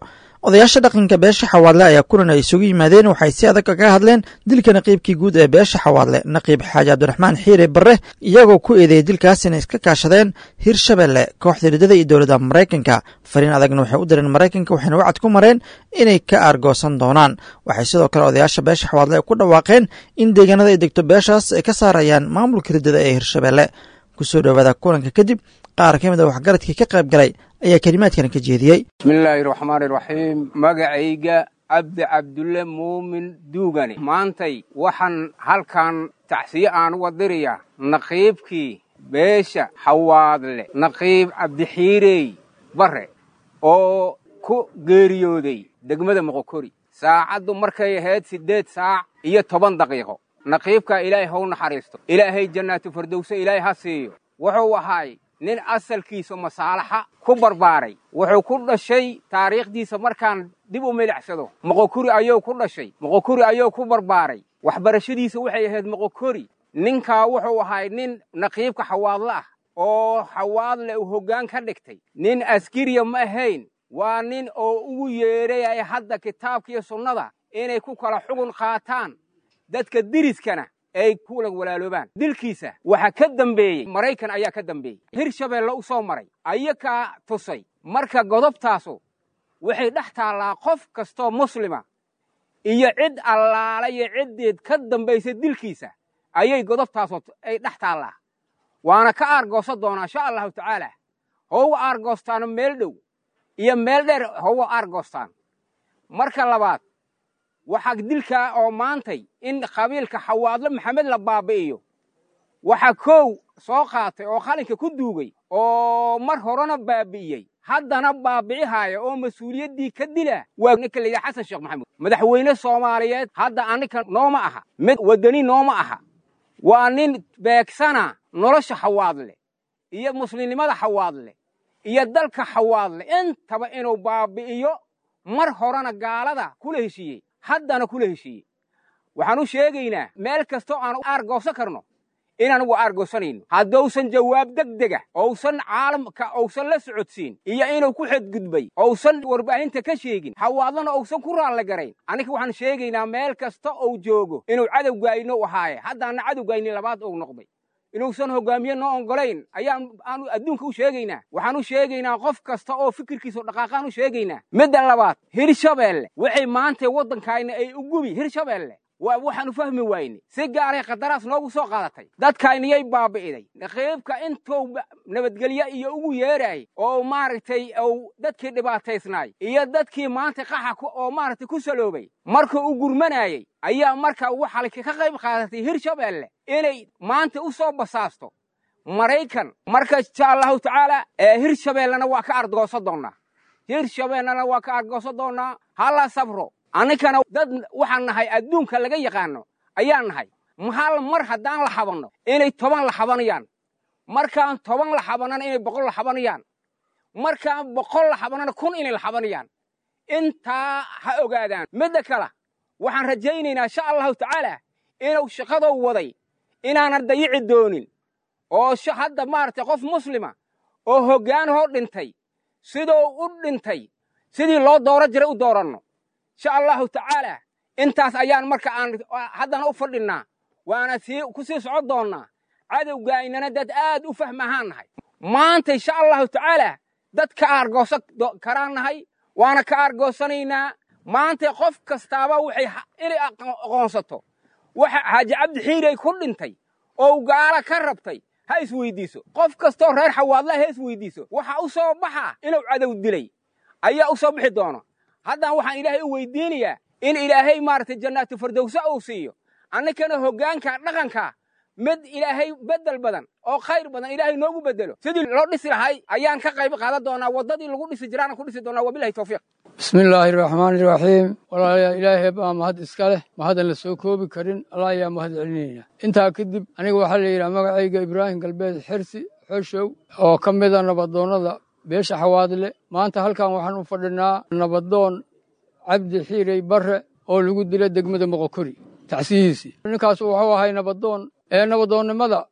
odayaasha dhaqanka beesha Xawaadle ayaa kulan ay isugu yimaadeen waxay si adag kaga hadleen dilka naqiibkii guud ee beesha Xawaadle, Naqiib Xaaji Cabdiraxmaan Xiire Barre, iyagoo ku eedeeyey dilkaas inay iska kaashadeen Hirshabelle, kooxda ridada iyo dowladda Maraykanka. Fariin adagna waxay u direen Maraykanka, waxayna wacad ku mareen inay ka aargoosan doonaan. Waxay sidoo kale odayaasha beesha Xawaadle ku dhawaaqeen in deegaanada ay degto beeshaas ay ka saarayaan maamulka ridada ee Hirshabelle. Kusoo dhowaada kulanka kadib, qaar ka mid a waxgaradkii ka qayb galay ayaa kelimaadkan ka jeediyey. Bismillaahi raxmaani raxiim. Magacayga Cabdi Cabdulle Muumin Duugane. Maantay waxaan halkan tacsiye aan uga dirayaa naqiibkii beesha Xawaadle, Naqiib Cabdixiirey Barre, oo ku geeriyooday degmada Moqokori saacaddu markay ahayd siddeed saac iyo toban daqiiqo. Naqiibkaa Ilaahay how naxariisto, Ilaahay jannaatu fardowse Ilaahay ha siiyo. Wuxuu ahaay nin asalkiisa masaalaxa ku barbaaray. Wuxuu ku dhashay, taariikhdiisa markaan dib u milicsado, Moqokuri ayuu ku dhashay, Moqokuri ayuu ku barbaaray, waxbarashadiisa waxay ahayd Moqokori. Ninkaa wuxuu ahay nin naqiibka Xawaadle ah oo Xawaadle uu hoggaan ka dhigtay. Nin askariya ma ahayn, waa nin oo ugu yeedhay hadda kitaabkiiyo sunnada inay ku kala xugun qaataan, dadka diriskana ay kula walaaloobaan. Dilkiisa waxaa ka dambeeyey Maraykan ayaa ka dambeeyey, Hirshabeelle u soo maray, ayakaa tusay. Marka godobtaasu waxay dhex taallaa qof kastoo muslima iyo cid allaala iyo ciddeed ka dambaysa dilkiisa ayay godobtaasu ay dhex taallaa, waana ka aargoosan doonaa insha Allahu tacaala. Houga aargoostaano meel dhow iyo meel dheer houga aargoostaan. Marka labaad, waxaa dilkaa oo maantay in qabiilka Xawaadle Maxamed la baabi'iyo waxaa koow soo qaatay oo qalinka ku duugay oo mar horena baabi'iyey, haddana baabi'ihaaya oo mas-uuliyaddii ka dila, waa ninka la yidhaha Xasan Sheekh Maxamuud. Madaxweyne Soomaaliyeed hadda annika nooma aha, mid waddani nooma aha. Waa nin beegsana nolosha Xawaadle iyo muslimnimada Xawaadle iyo dalka Xawaadle intaba inuu baabi'iyo. Mar horena gaalada kula heshiiyey, haddana kula heshiiyey. Waxaan u sheegaynaa meel kastoo aan aargoosan karno inaan ugu aargoosanayno haddousan jawaab deg dega ousan caalamka ousan la socodsiin iyo inuu ku xadgudbay ousan warbaahinta ka sheegin, Xawaadlana ousan ku raalle garayn. Annika waxaan sheegaynaa meel kasta ou joogo inuu cadowgayno ahaaye, haddaana cadowgayni labaad ou noqday, inuusan hogaamiye noo ongolayn ayaan aanu adduunka u sheegaynaa. Waxaan u sheegaynaa qof kasta oo fikirkiisu dhaqaaqaan u sheegaynaa. Midda labaad, Hirshabeelle waxay maanta waddankayna ay u gubi. Hirshabeelle waa waxaanu fahmi wayne, si gaaray qadaraas noogu soo qaadatay, dadkayniyay baabi'iday. Naqiibka intuu nabadgelyo iyo ugu yeeraayay oo maaragtay uu dadkii dhibaataysnaay iyo dadkii maanta qaxa oo maaragtay ku saloobay markuu u gurmanayay ayaa marka waxaa ka qayb qaadatay Hirshabeelle inay maanta u soo basaasto Maraykan. Marka insha Allahu tacaala Hirshabeellena waa ka ardgoosan doonnaa. Hirshabeellena waa ka aargoosan doonnaa. Hala sabro. Annikana dad waxaan nahay adduunka laga yaqaano ayaan nahay. Hal mar haddaan la xabanno inay toban la xabanayaan, markaan toban la xabanana inay boqol la xabanayaan, markaan boqol la xabanana kun inay la xabanayaan. Intaa ha ogaadaan. Midda kale waxaan rajaynaynaa insha Allahu tacaala inuu shaqadou waday inaanan dayici doonin, oo hadda maaragtay qof muslima oo hoggaanhoo dhintay siduu u dhintay sidii loo dooro jiray u dooranno insha Allahu tacaala. Intaas ayaan marka aan haddana u fadhinnaa, waana sii ku sii socon doonnaa. Cadowgaaynana dad aad u fahmahaan nahay maanta insha Allahu tacaala. Dad ka aargoosan karaan nahay, waana ka aargoosanaynaa maanta. Qof kastaaba waxay inay aqoonsato waxa Xaaji Cabdi Xiirey ku dhintay oo gaala ka rabtay ha isweydiiso. Qof kastoo reer Xawaadla ha isweydiiso waxa u soo baxa inuu cadow dilay ayaa u soo bixi doona. Haddana waxaan Ilaahay u weydiinayaa in Ilaahay maaragtay jannaatu fardowsa uu siiyo, annikana hoggaanka dhaqanka mid Ilaahay beddel badan oo khayr badan Ilaahay noogu beddelo. Sidii loo dhisi lahay ayaan ka qayb qaadan doonaa, waddadii lagu dhisi jiraana ku dhisi doonaa. Wabilahi tawfiiq. Bismillaahi raxmaani raxiim. Walaalayaal, Ilaahay baa mahad iska leh, mahadan la soo koobi karin. Allah ayaa mahad celinayna. Intaa kadib, aniga waxaa la yidhaha magacayga Ibraahim Galbeed Xirsi Xoshow, oo ka mida nabadoonnada beesha Xawaadle. Maanta halkan waxaan u fadhinaa nabadoon Cabdi Xiirey Barre oo lagu dilay degmada Moqokori tacsiyihiisii. Ninkaas wuxuu ahay nabadoon ee nabadoonnimada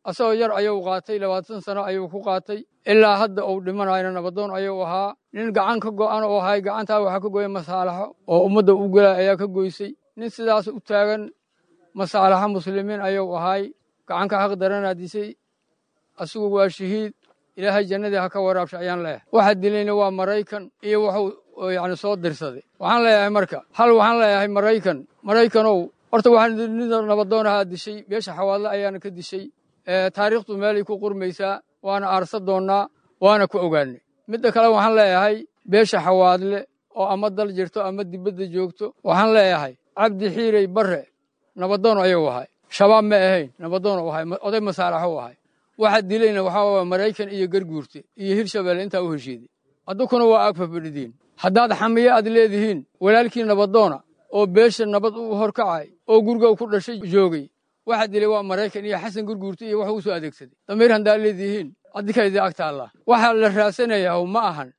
asagoo yar ayuu qaatay, labaatan sano ayuu ku qaatay, ilaa hadda uu dhimanayna nabadoon ayuu ahaa. Nin gacan ka go'an oo ahay, gacantaa waxaa ka goya masaalaxo oo ummadda u gelaa ayaa ka goysay. Nin sidaas u taagan masaalaxo muslimiin ayuu ahay, gacanka xaq daranaa disay. Asigu waa shahiid, Ilaahay jannadii ha ka waraabsha ayaan leeyahay. Waxa dilayna waa Maraykan iyo wuxuu yacni soo dirsaday. Waxaan leeyahay marka hal, waxaan leeyahay Maraykan, Maraykanow, horta waxaan nin nabadoonahaa dishay, beesha Xawaadle ayaana ka dishay. Taariikhdu meelay ku qurmaysaa, waana aarsa doonnaa, waana ku ogaanay. Midda kale waxaan leeyahay beesha Xawaadle oo ama dal jirto ama dibadda joogto, waxaan leeyahay Cabdi Xiirey Barre nabadoon ayuu ahay, shabaab ma ahayn, nabadoon uu ahay, oday masaalaxu ahay. Waxa dilayna waxaa waa Maraykan iyo Garguurte iyo Hirshabeelle intaa u heshiiday. Adunkuna waa ag fafadhidiin. Haddaad xamiye aad leedihiin, walaalkii nabadoona oo beesha nabad u horkacay oo guriga ku dhashay joogay, waxa dilay waa Maraykan iyo Xasan Gurguurte iyo wuxuu u soo adeegsaday. Damiir haddaad leedihiin, adinka idin ag taallaa. Waxaa la raadsanayaa ma ahan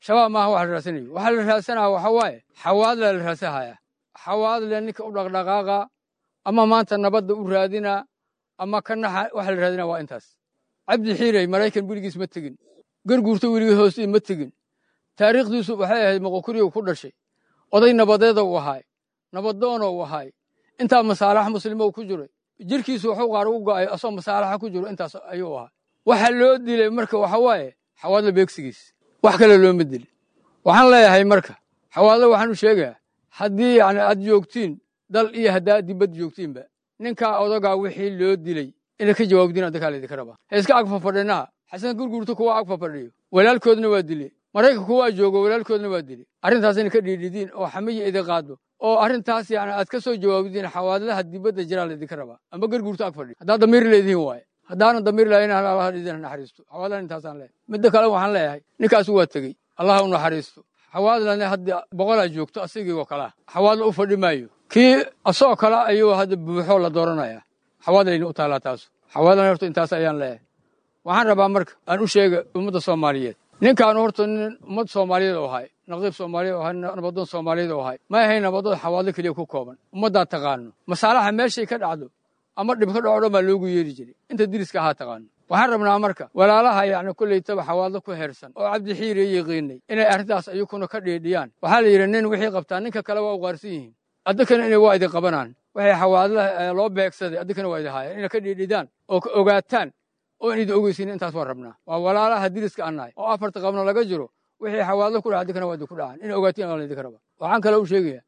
shabaab, maaha waxa la raadsanayo. Waxaa la raadsanaya waxa waaye Xawaadle la raadsanaya. Xawaadle ninka u dhaqdhaqaaqa ama maanta nabadda u raadina ama ka naxa, waxa la raadinaa waa intaas. Cabdi Xiirey Maraykan weligiis ma tegin, Garguurto weligii hoostii ma tegin. Taariikhdiisu waxay ahayd Moqokuriga ku dhashay, oday nabadeeda uu ahaay, nabadoona uu ahaay, intaa masaalax muslimo ku jiray. Jirkiisu wuxuu qaar ugu go'ay asoo masaalaxa ku jiro, intaas ayuu ahaa. Waxa loo dilay marka waxa waaye Xawaadle beegsigiis, wax kale looma dilin. Waxaan leeyahay marka Xawaadle waxaan u sheegayaa, haddii yacni aad joogtiin dal iyo haddaad dibad joogtiinba, ninkaa odagaa wixii loo dilay inay ka jawaabdiin adinkaa laydinka rabaa. Ha iska ag fafadhinaha. Xasan Gurguurto kuwa ag fafadhiyo walaalkoodna waa dilay, Maraykanka kuwaa joogo walaalkoodna waa dilay. Arrintaas inay ka dhiidhidiin oo xamiya idin qaado oo arrintaas yacni aad ka soo jawaabdiin Xawaadlaha dibadda jiraa laydinka rabaa ama Garguurto ag fadhiyo, haddaad damiir leedihiin waaye. Haddaanan damiir lahayn, Allah idin naxariisto. Xawaadlahan intaasaan leeyahay. Midda kale waxaan leeyahay ninkaas waa tegey, Allah u naxariisto. Xawaadlana hadda boqolaa joogto asigii oo kalaa Xawaadla u fadhi maayo, kii asagoo kale ayuu hadda buuxoo la dooranayaa. Xawaadlayna u taallaa taasu. Xawaadlana horta intaas ayaan leeyahay. Waxaan rabaa marka aan u sheega ummadda Soomaaliyeed, ninkaan horta nin ummad Soomaaliyeed oo ahay, naqiib Soomaaliyeed oo ahay, nabadoon Soomaaliyeed oo ahay, ma ahayn nabadoon Xawaadle keliya ku kooban. Ummaddaa taqaano masaalaxa meeshay ka dhacdo ama dhib ka dhaco dhan baa loogu yeeri jiray, inta diriska ahaa taqaano. Waxaan rabnaa marka walaalaha yacni kollaytaba Xawaadle ku heersan oo Cabdi Xiire yiqiinay inay arrintaas ayukuna ka dhiidhiyaan. Waxaa la yidhi nin wixii qabtaa ninka kale waa u qaarsan yihiin, addinkana inay waa idin qabanaan. Waxay Xawaadlaha loo beegsaday addinkana waa idin haayeen, inay ka dhiidhidaan oo ka ogaataan oo in idin ogeysiin intaas waan rabnaa. Waa walaalaha diriska aan nahay oo afarta qabno laga jiro, wixii Xawaadle ku dhaca addinkana waa idinku dhacaan, inay ogaatiin waa laydinka rabaa. Waxaan kale u sheegayaa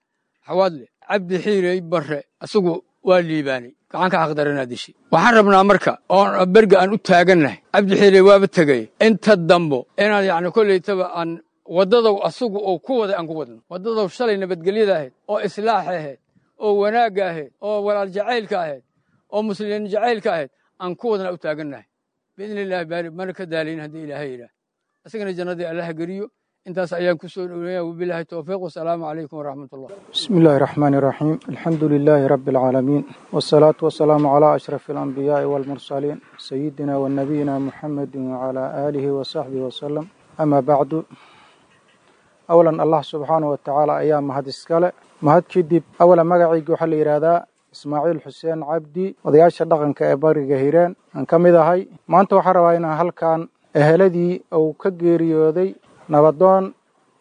Xawaadle, Cabdi Xiirey Barre isagu waa liibaanay, gacanka xaqdaranaa dishay. Waxaan rabnaa marka oon berga aan u taagannahay, Cabdi Xiirey waaba tegay, inta dambo inaan yacni kollaytaba aan waddadow asagu oo ku waday aan ku wadno waddadow shalay nabadgelyada ahayd oo islaaxa ahayd oo wanaagga ahayd oo walaal jacaylka ahayd oo muslimiin jacaylka ahayd aan ku wadna u taagannahay biidni illaahi baari, mana ka daalayn haddii Ilaahay yidhaah. Isagana jannadii Allaha geliyo, Intaas ayaan ku soo dhoweynaya. Wabilaahi towfiiq, wasalaamu calaykum waraxmatullah. Bismi illaahi raxmaani raxiim. Alxamdu lilaahi rabbi alcaalamiin, wasalaatu wasalaamu calaa ashrafi alambiyaai waalmursaliin, sayidina wa nabiyina muxamedin wacalaa aalihi wasaxbihi wasalam. Amaa bacdu, awalan Allah subxaanahu wa tacaala ayaa mahad iskale. Mahad kadib, awalan magacayga waxaa la yidhaahdaa Ismaaciil Xuseen Cabdi, odayaasha dhaqanka ee bariga Hiiraan aan ka mid ahay. Maanta waxaan rabaa inaan halkan eheladii uu ka geeriyooday nabadoon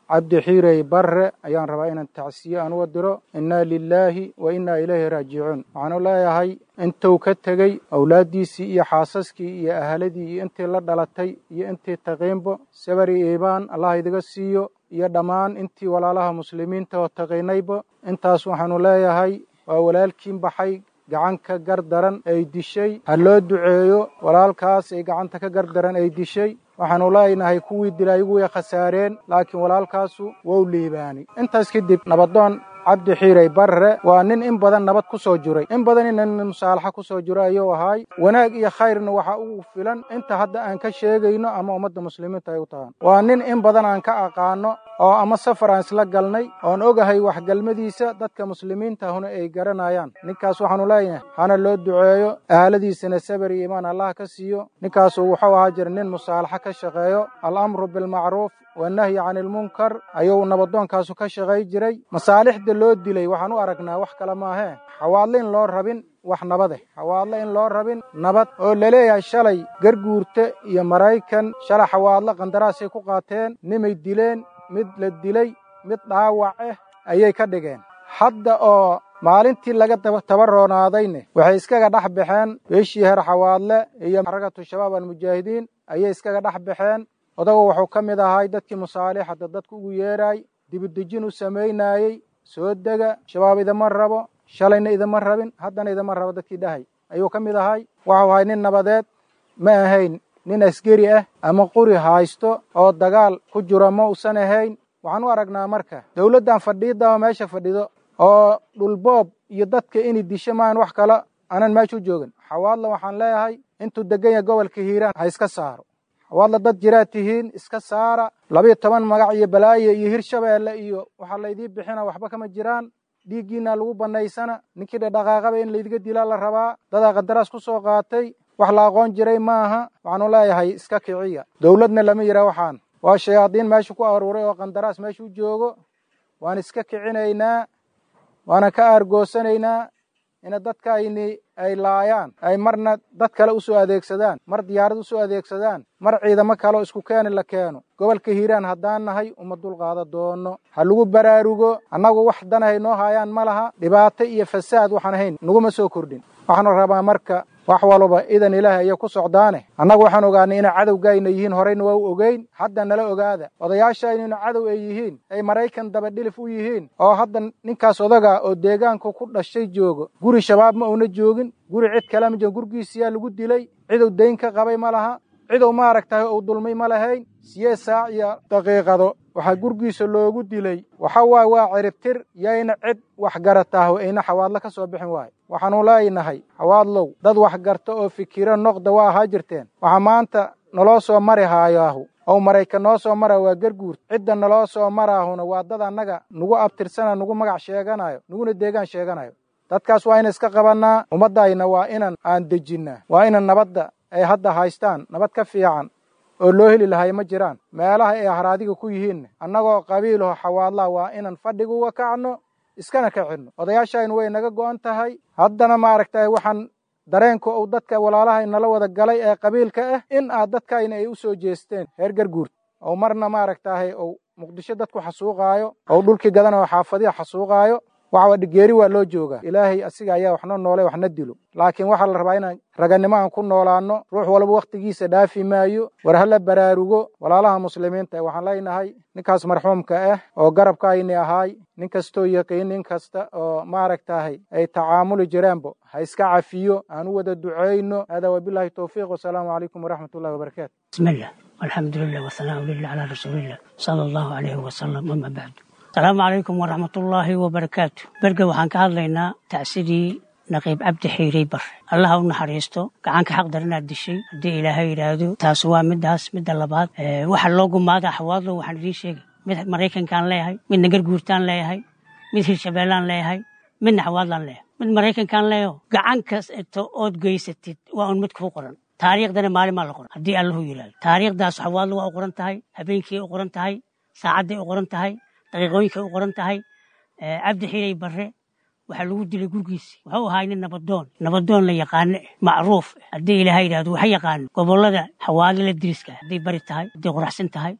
Cabdi Xiirey Barre ayaan rabaa inaan tacsiye aan uga diro. Innaa lilaahi wa innaa ilayhi raajicuun. Waxaanu leeyahay intuu ka tegey awlaaddiisii iyo xaasaskii iyo ahaladii iyo intii la dhalatay iyo intii taqiinbo, sabari iibaan Allah idiga siiyo, iyo dhammaan intii walaalaha muslimiinta oo taqiinaybo. Intaas waxaanu leeyahay waa walaalkiin baxay, gacanka gardaran ay dishay. Ha loo duceeyo walaalkaas ay gacanta ka gardaran ay dishay. Waxaanu leenahay kuwii dilay ayagu way khasaareen, laakiin walaalkaasu wou liibaanay. Intaas kadib, nabadoon Cabdi Xiirey Barre waa nin in badan nabad ku soo jiray, in badan ina musaalaxa ku soo jiro ayuu ahaay. Wanaag iyo khayrna waxa ugu filan inta hadda aan ka sheegayno ama ummadda muslimiinta ay u tahaan. Waa nin in badan aan ka aqaano oo ama safar aan isla galnay oon ogahay waxgalmadiisa, dadka muslimiinta huna ay garanayaan. Ninkaas waxaanu leeyahay hana loo duceeyo, ahaladiisana sabar iyo iimaan Allah ka siiyo. Ninkaasu wuxuu ahaa jira nin musaalaxa ka shaqeeyo, alamru bilmacruuf wanahyi can ilmunkar ayuu nabadoonkaasu ka shaqay jiray. Masaalixda loo dilay waxaan u aragnaa wax kale maahee, xawaadle in loo rabin wax nabade, xawaadle in loo rabin nabad, oo laleeyahay shalay Garguurte iyo Maraykan shalay xawaadle qandaraasay ku qaateen, nimay dileen, mid la dilay, mid dhaawac ah ayay ka dhigeen. Hadda oo maalintii laga tabaroonaadayne waxay iskaga dhex baxeen beeshii heer xawaadle iyo xarakatu shabaab almujaahidiin ayay iskaga dhex baxeen. Odagu wuxuu ka mid ahay dadkii musaalixada dadku ugu yeeraay, dibudejin u samaynayey. Soo dega, shabaab idama rabo, shalayna idama rabin, haddana idama rabo dadkii dhahay ayuu ka mid ahay. Waxuu ahay nin nabadeed, ma ahayn nin askari ah ama quri haysto oo dagaal ku jiro ma usan ahayn. Waxaan u aragnaa marka dowladdan fadhiidaba meesha fadhido oo dhulboob iyo dadka inay disho maahan wax kale aanan meesha u joogin. Xawaadla waxaan leeyahay intuu degan yahay gobolka Hiiraan ha iska saaro. Xawaadla dad jiraad tihiin, iska saara. Labiyo toban magac iyo balaayo iyo Hirshabeelle iyo waxaa laydii bixina waxba kama jiraan. Dhiiggiina lagu bannaysana, ninkii dhadhaqaaqaba in laydiga dilaa la rabaa. Dadaa qandaraas ku soo qaatay, wax la aqoon jiray maaha. Waxaanu leeyahay iska kiciya. Dowladna lama yidhaah, waxaan waa shayaadiin meesha ku aruuray oo qandaraas meesha u joogo. Waan iska kicinaynaa, waana ka aargoosanaynaa ina dadka ayni ay laayaan, ay marna dad kale u soo adeegsadaan, mar diyaarad u soo adeegsadaan, mar ciidamo kale oo isku keeni la keeno. Gobolka Hiiraan haddaan nahay uma dulqaada doono. Ha lagu baraarugo. Annagu wax danahay noo haayaan ma laha, dhibaato iyo fasaad waxaan ahayn naguma soo kordhin. Waxaanu rabaa marka wax walba idan Ilaahay ayay ku socdaane. Annagu waxaan ogaanay inay cadowgayna yihiin, horeyna waa u ogeyn, hadda nala ogaada odayaashayna inu cadow ay yihiin, ay Maraykan dabadhilif u yihiin. Oo hadda ninkaas odaga oo deegaanka ku dhashay joogo, guri shabaab ma uuna joogin, guri cid kale ma joogin, gurigiisiyaa lagu dilay. Cidow dayn ka qabay ma laha, cidow maaragtahay uu dulmay ma lahayn. Siyeed saac iyo daqiiqado waxaa gurigiisa loogu dilay. Waxa waaye waa ciribtir, yayna cid wax garataah ayna xawaadlo ka soo bixin waayo. Waxaanu leenahay xawaadlow dad wax garta oo fikiro noqda waa ahaa jirteen. Waxaa maanta naloo soo mari haayaahu oo Maraykan noo soo mara waa Garguur. Cidda naloo soo maraahuna waa dad annaga nagu abtirsana, nagu magac sheeganayo, naguna deegaan sheeganayo. Dadkaas waa ina iska qabannaa. Ummaddayna waa inan aan dejinnaa, waa inan nabadda ay hadda haystaan nabad ka fiican oo loo heli lahay ma jiraan. Meelaha ay haraadiga ku yihiinna annagoo qabiilaho xawaadlaha waa inan fadhiga uga kacno, iskana kacinno. Odayaashaynu way naga go'an tahay. Haddana maaragtay waxaan dareenka uu dadka walaalaha inala wada galay ee qabiilka ah in aad dadkayna ay u soo jeesteen heer Garguur, oo marna maaragtahay uu Muqdisho dadku xasuuqaayo, oo dhulkii gadanayo, xaafadiha xasuuqaayo. Waxa dhigeeri waa loo joogaa. Ilaahay asiga ayaa waxna noolay waxna dilo, laakiin waxaa la rabaa inaan raganimo aan ku noolaano. Ruux walba wakhtigiisa dhaafi maayo. War hala baraarugo walaalaha muslimiinta. Waxaan leenahay ninkaas marxuumka ah oo garabka ayni ahaay, nin kastoo yaqiin, nin kasta oo maaragtahay ay tacaamuli jireenbo ha iska cafiyo, aan u wada duceyno. Hada wabilaahi towfiiq, wasalaamu calaykum waraxmat ullahi wabarakaatu. Bismillah, alxamdu lilah, wasanaa lilah calaa rasuulillah sala allahu calayhi wasalam, ama bacdu. Asalaamu calaykum waraxmatullaahi wabarakaatu. Berge waxaan ka hadlaynaa tacsidii naqiib Cabdi Xiirey Bare. Allaha u naxariisto, gacanka xaq daranaad dishay haddii Ilaahay yidhaahdo. Taas waa midaas. Midda labaad, waxa loo gumaada xawaadlo waxaan idiin sheegay Mid Maraykankaan leeyahay, midna Garguurtaan leeyahay, mid Hirshabeellaan leeyahay, midna Xawaadlaan leeyahay. Mid Maraykankaan leeyaho, gacan kasto ood geysatid waa un mid kuu qoran. Taariikhdana maalin maa la qoran haddii Allahu yidhaahdo. Taariikhdaas Xawaadla waa u qoran tahay, habeenkii u qoran tahay, saacadday u qoran tahay, daqiiqooyinkay u qoran tahay. Cabdi Xiiray Barre waxaa lagu dilay gurigiisi. Wuxuu ahaa nin nabadoon, nabadoon la yaqaano, macruuf. Haddii Ilaahay yidhaahdo, waxa yaqaano gobollada Xawaadle la diriska, hadday Bari tahay, hadday Qoraxsan tahay,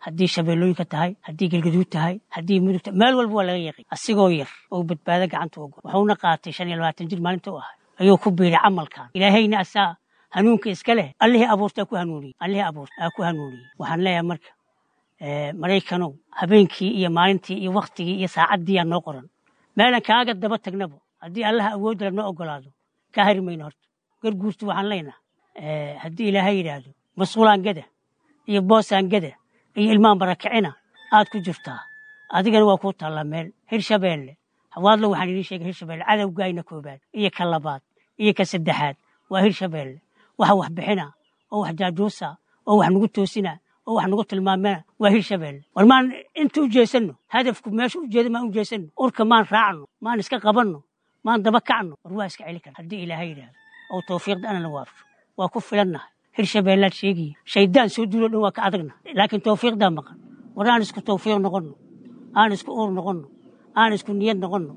haddii Shabeellooyinka tahay, haddii Galgaduud tahay, haddii Mudug tahay, meel walba waa laga yaqay. Asigoo yar oo badbaado gacanta uga, wuxuuna qaatay shan iyo labaatan jir maalinta u ahay ayuu ku biiray camalkan. Ilaahayna asaa hanuunka iska leh, Allihii abuurtaa ku hanuuniyey, Allihii abuurta aa ku hanuuniyey. Waxaan leeyahay marka, Maraykanow, habeenkii iyo maalintii iyo waktigii iyo saacaddii aa noo qoran. Meelan kaaga daba tagnabo haddii Allaha awoodala noo ogolaado, kaa hari mayno. Horta Garguurta waxaan leenahay, haddii Ilaahay yidhaahdo, masquulaan gada iyo boosaan gada iyo ilmaan barakicina aad ku jirtaa, adigana waa kuu taallaa meel. Hirshabeelle, Xawaadlo, waxaan idiin sheegay Hirshabeelle cadowgaayna koobaad iyo ka labaad iyo ka saddexaad waa Hirshabeelle. Waxa wax bixina oo wax jaajuusa oo wax nagu toosina oo wax nagu tilmaamena waa Hirshabeelle. War maan inta u jeesanno, hadafku meesha u jeeda maan u jeesanno, urka maan raacno, maan iska qabanno, maan daba kacno. War waa iska celi kara haddii Ilaahay yidhaahdo oo tawfiiqda ana la waafjo, waa ku filannahay. Hirshabeellaad sheegaya shaydaan soo duulo dhan waa ka adagna, laakiin tawfiiqdaa maqan. War aan isku tawfiiq noqonno, aan isku uur noqonno, aan isku niyad noqonno.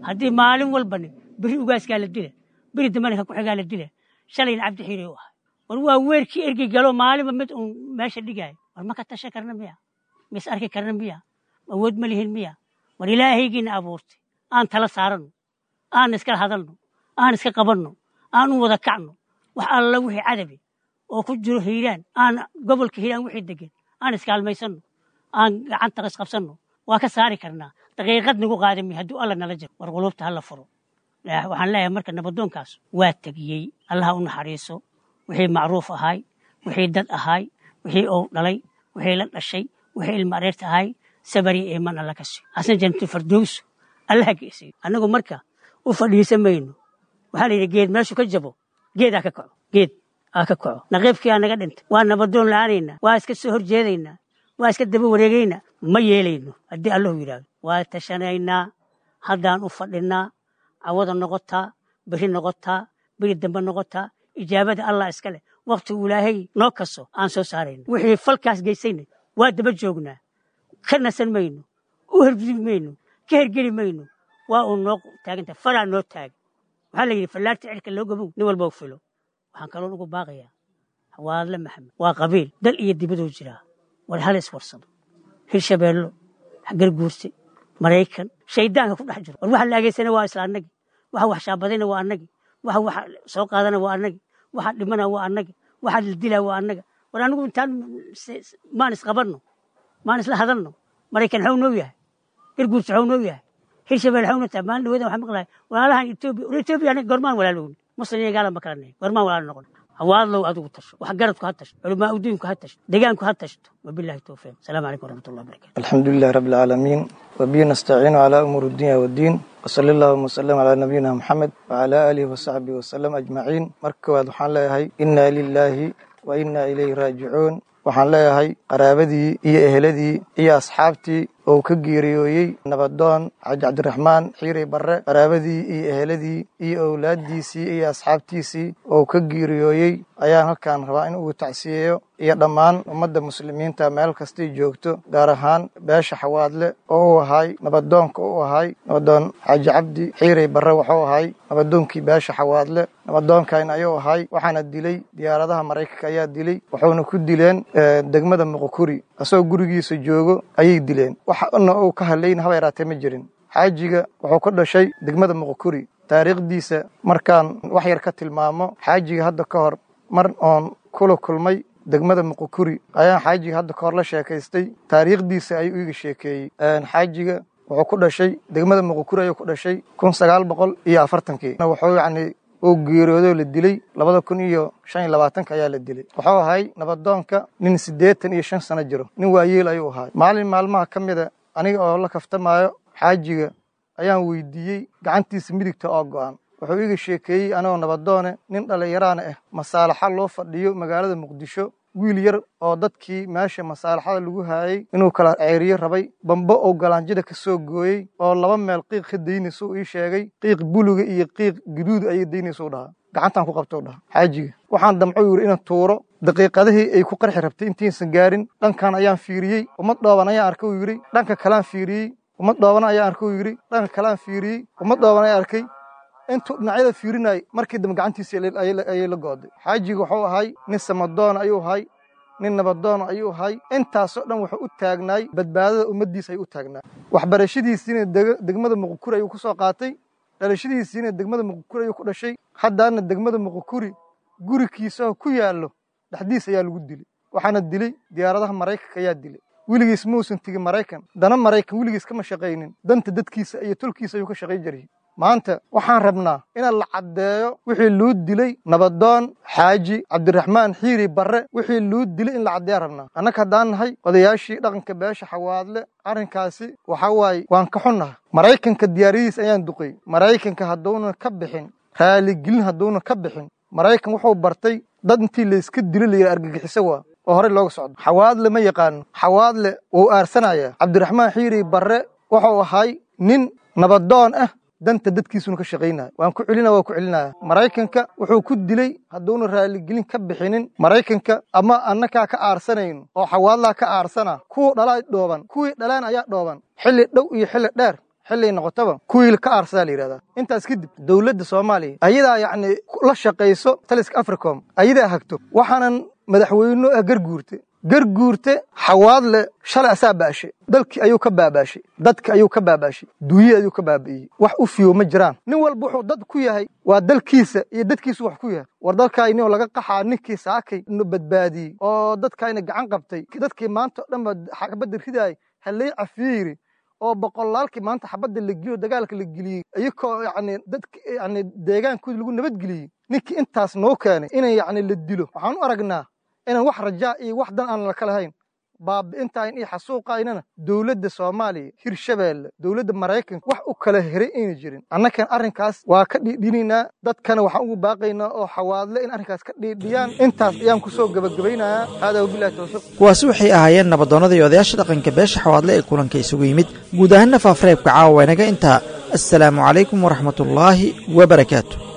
Haddii maalin walbani beri ugaaskaa la dila, beri dambana ka ku-xigaa la dila, shalayna Cabdi Xiiray u ahay. War waa weerkii ergey galo, maalinba mid uun meesha dhigaayo. War ma ka tashan karna miya? Ma is arki karna miya? Awood ma lihin miya? War Ilaahaygiina abuurtay aan tala saaranno, aan iskala hadalno, aan iska qabanno, aan u wada kacno. Wax alla wixii cadabi oo ku jiro Hiiraan, aan gobolka Hiiraan wixii degan aan iskaalmaysanno, aan gacanta isqabsanno, waa ka saari karnaa. Daqiiqad nagu qaadami hadduu Alla nala jiro. War quluubta hala furo. Waxaan leeyahay marka, nabadoonkaas waa tegiyey, Allaha u naxariiso. Wixii macruuf ahay, wixii dad ahay, wixii uu dhalay, wixii la dhashay, wixii ilma areerta ahay, sabari iiman Alla ka siiyo, asna jannatul fardowso Allaha geesiyo. Annagu marka u fadhiisan mayno. Waxaa la yidhi, geed meeshu ka jabo geedaa ka kaco, geed aa ka kaco. Naqiibkii aa naga dhintay, waa nabadoon la-aanaynaa, waa iska soo horjeedaynaa, waa iska daba wareegaynaa? Ma yeelayno haddii Allahu yidhaahdo. Waa tashanaynaa, haddaan u fadhinaa, cawada noqotaa, beri noqotaa, beri dambe noqotaa, ijaabada Allah iska leh. Waktigu Ilaahay noo kaso aan soo saarayno. Wixii falkaas geysayna waa daba joognaa, ka nasan mayno, u hergudi mayno, ka hergeli mayno. Waa uu noo taaganta, faraa noo taagan. Waxaa la yidhi, fallaarta cirka loo gabow nin walba u filo. Waxaan kaloon ugu baaqayaa Xawaadle Maxamed, waa qabiil dal iyo dibaduu jiraa. War hal iswarsado, Hirshabeello, Garguurse, Maraykan, shaydaanka ku dhex jiro. War waxa la ageysana waa isla annagi, waxa wax shaabadayna waa annagi, waxa wax soo qaadana waa annagi, waxa dhimana waa annagi, waxa la dilaa waa annaga. War anigu intaan maan isqabanno, maan isla hadalno. Maraykan xaw noo yahay, Garguurse xaw noo yahay, Hirshabelle xaw noo tahay. Maalin dhaweeda waxaan maqlahay walaalahan Etoobiya. War Etoobiya aniga gormaan walaalowni? Muslim iyo gaala ma kala nahay, gormaan walaalo noqon? Hawaadlow, adigu tasho, wax garadku ha tasho, culamaa udiinku ha tasho, deegaanku ha tashto. Wabillahi towfiiq. Asalaamu calaykum waraxmatullahi wabarakatu. الحمد لله رب العالمين، وبه نستعين على أمور الدنيا والدين، وصلى الله وسلم على نبينا محمد وعلى آله وصحبه وسلم أجمعين. Marka koowaad waxaan leeyahay إنا لله وإنا إليه راجعون. Waxaan leeyahay qaraabadii iyo eheladii iyo asxaabtii oo ka geeriyooyey nabadoon Xaaji Cabdiraxmaan Xiirey Barre, qaraabadii iyo eheladii iyo owlaaddiisii iyo asxaabtiisii oo ka geeriyooyey ayaan halkaan rabaa in uu tacsiyeeyo, iyo dhammaan ummadda muslimiinta meel kastay joogto, gaar ahaan beesha Xawaadle oo uu ahay nabadoonka u ahay. Nabadoon Xaaji Cabdi Xiirey Barre wuxuu ahay nabadoonkii beesha Xawaadle, nabadoonkan ayuu ahay. Waxaana dilay diyaaradaha Maraykanka ayaa dilay, wuxuuna ku dileen degmada Muqokuri asagoo gurigiisa joogo ayay dileen. Waxna uu ka hadlayn haba yaraatee ma jirin. Xaajiga wuxuu ka dhashay degmada Muqokuri. Taariikhdiisa markaan wax yar ka tilmaamo, xaajiga hadda ka hor mar oon kula kulmay degmada Muqokuri ayaan xaajiga hadda ka hor la sheekaystay, taariikhdiisa ayuu iiga sheekeeyey. Xaajiga wuxuu ku dhashay degmada Muqokuri ayuu ku dhashay kun sagaal boqol iyo afartankii. Wuxuu yacni uu geeriyoodo la dilay labada kun iyo shan iyo labaatanka ayaa la dilay. Wuxuu ahay nabadoonka nin siddeetan iyo shan sano jiro, nin waayeel ayuu ahay. Maalin maalmaha ka mida aniga oo la kaftamaayo xaajiga ayaan weydiiyey gacantiisa midigta oo go'an. Wuxuu iga sheekeeyey, anigoo nabadoone, nin dhallinyaraana ah, masaalaxa loo fadhiyo magaalada Muqdisho Wiil yar oo dadkii meesha masaalaxada lagu haayay inuu kala ceeriyo rabay, bambo oo galaanjida ka soo gooyey oo laba meel qiiq ka daynayso ii sheegay, qiiq buluga iyo qiiq guduud ayay daynayso dhahaa, gacantaan ku qabto dhaha xaajiga. Waxaan damco yiri inaan tuuro, daqiiqadihii ay ku qarxi rabtay intiisan gaarin dhankan ayaan fiiriyey, ummad dhooban ayaan arkay uu yiri, dhanka kalaan fiiriyey, ummad dhooban ayaan arkay uu yiri, dhanka kalaan fiiriyey, ummad dhooban ayaan arkay. Intuu dhinacyada fiirinayay markii dambe gacantiisa ayay la go'day. Xaajiga wuxuu ahay nin samadoon ayuu ahay, nin nabadoon ayuu ahay, intaasoo dhan wuxuu u taagnaay badbaadada ummaddiisa ayuu u taagnaa. Waxbarashadiisiina degmada Muqukuri ayuu ku soo qaatay, dhalashadiisiina degmada Muqukuri ayuu ku dhashay, haddaana degmada Muqukuri gurigiisa ku yaallo dhexdiisa ayaa lagu dilay. Waxaana dilay diyaaradaha Maraykanka ayaa dilay. Weligiis muusan tegin Maraykan, dana Maraykan weligiis kama shaqaynin, danta dadkiisa iyo tolkiisa ayuu ka shaqay jiray. Maanta waxaan rabnaa inaan la caddeeyo wixii loo dilay nabadoon Xaaji Cabdiraxmaan Xiiri Barre, wixii loo dilay in la caddeeya rabnaa. Annaga haddaan nahay odayaashii dhaqanka beesha Xawaadle, arrinkaasi waxa waaye waan ka xunnahay. Maraykanka diyaaradihiis ayaan duqay. Maraykanka hadduunan ka bixin raaligelin, hadduunan ka bixin, Maraykan wuxuu bartay dad intii layska dilo la yidhi argagixiso waa oo horey looga socdo. Xawaadle ma yaqaano, Xawaadle wuu aarsanayaa. Cabdiraxmaan Xiiri Barre wuxuu ahay nin nabadoon ah, danta dadkiisuna ka shaqaynaya. Waan ku celinaya, waan ku celinaya. Maraykanka wuxuu ku dilay hadduuna raaligelin ka bixinin Maraykanka, ama annakaa ka aarsanayno oo Xawaadlaa ka aarsana, kuwa dhalaa dhooban, kuwii dhalaan ayaa dhooban, xilli dhow iyo xilli dheer xilli noqotaba kuwii ka aarsadaa la yidhahdaa. Intaas kadib dowladda Soomaaliya ayadaa yacni la shaqayso taliska Africom, ayadaa hagto. Waxaanan madaxweyne ah Garguurte, Garguurte Xawaadle shalay asaa baashay, dalkii ayuu ka baabaashay, dadka ayuu ka baabaashay, duunyada ayuu ka baabi'iyey. Wax u fiyo ma jiraan. Nin walba wuxuu dad ku yahay waa dalkiisa iyo dadkiisu wax ku yahay. War dalkaayni oo laga qaxaa ninkii saakay nu badbaadiyey oo dadkaayna gacan qabtay, dadkii maanta oo dhan ba xabadda ridaayay halay cafiiri oo boqolaalkii maanta xabadda la geliyo dagaalka la geliyey, iyagoo yacni dadka yacni deegaankooda lagu nabadgeliyey, ninkii intaas noo keenay inay yacni la dilo. Waxaan u aragnaa inaan wax rajaa iyo wax dan aan la kala hayn. Baabi'intaan iyo xasuuqaynana dowladda Soomaaliya, Hirshabeelle, dowladda Maraykanka wax u kala heray ayna jirin. Annakan arrinkaas waa ka dhiidhinaynaa, dadkana waxaan ugu baaqaynaa oo Xawaadle in arrinkaas ka dhiidhiyaan. Intaas ayaan ku soo gabagabaynayaa. Haadaa wabillahi tawfiiq. Kuwaasi waxay ahaayeen nabadoonnada iyo odayaasha dhaqanka beesha Xawaadle ee kulanka isugu yimid. Guud ahaanna faafareebka caawa inaga intaa. Assalaamu calaykum waraxmatullaahi wabarakaatu.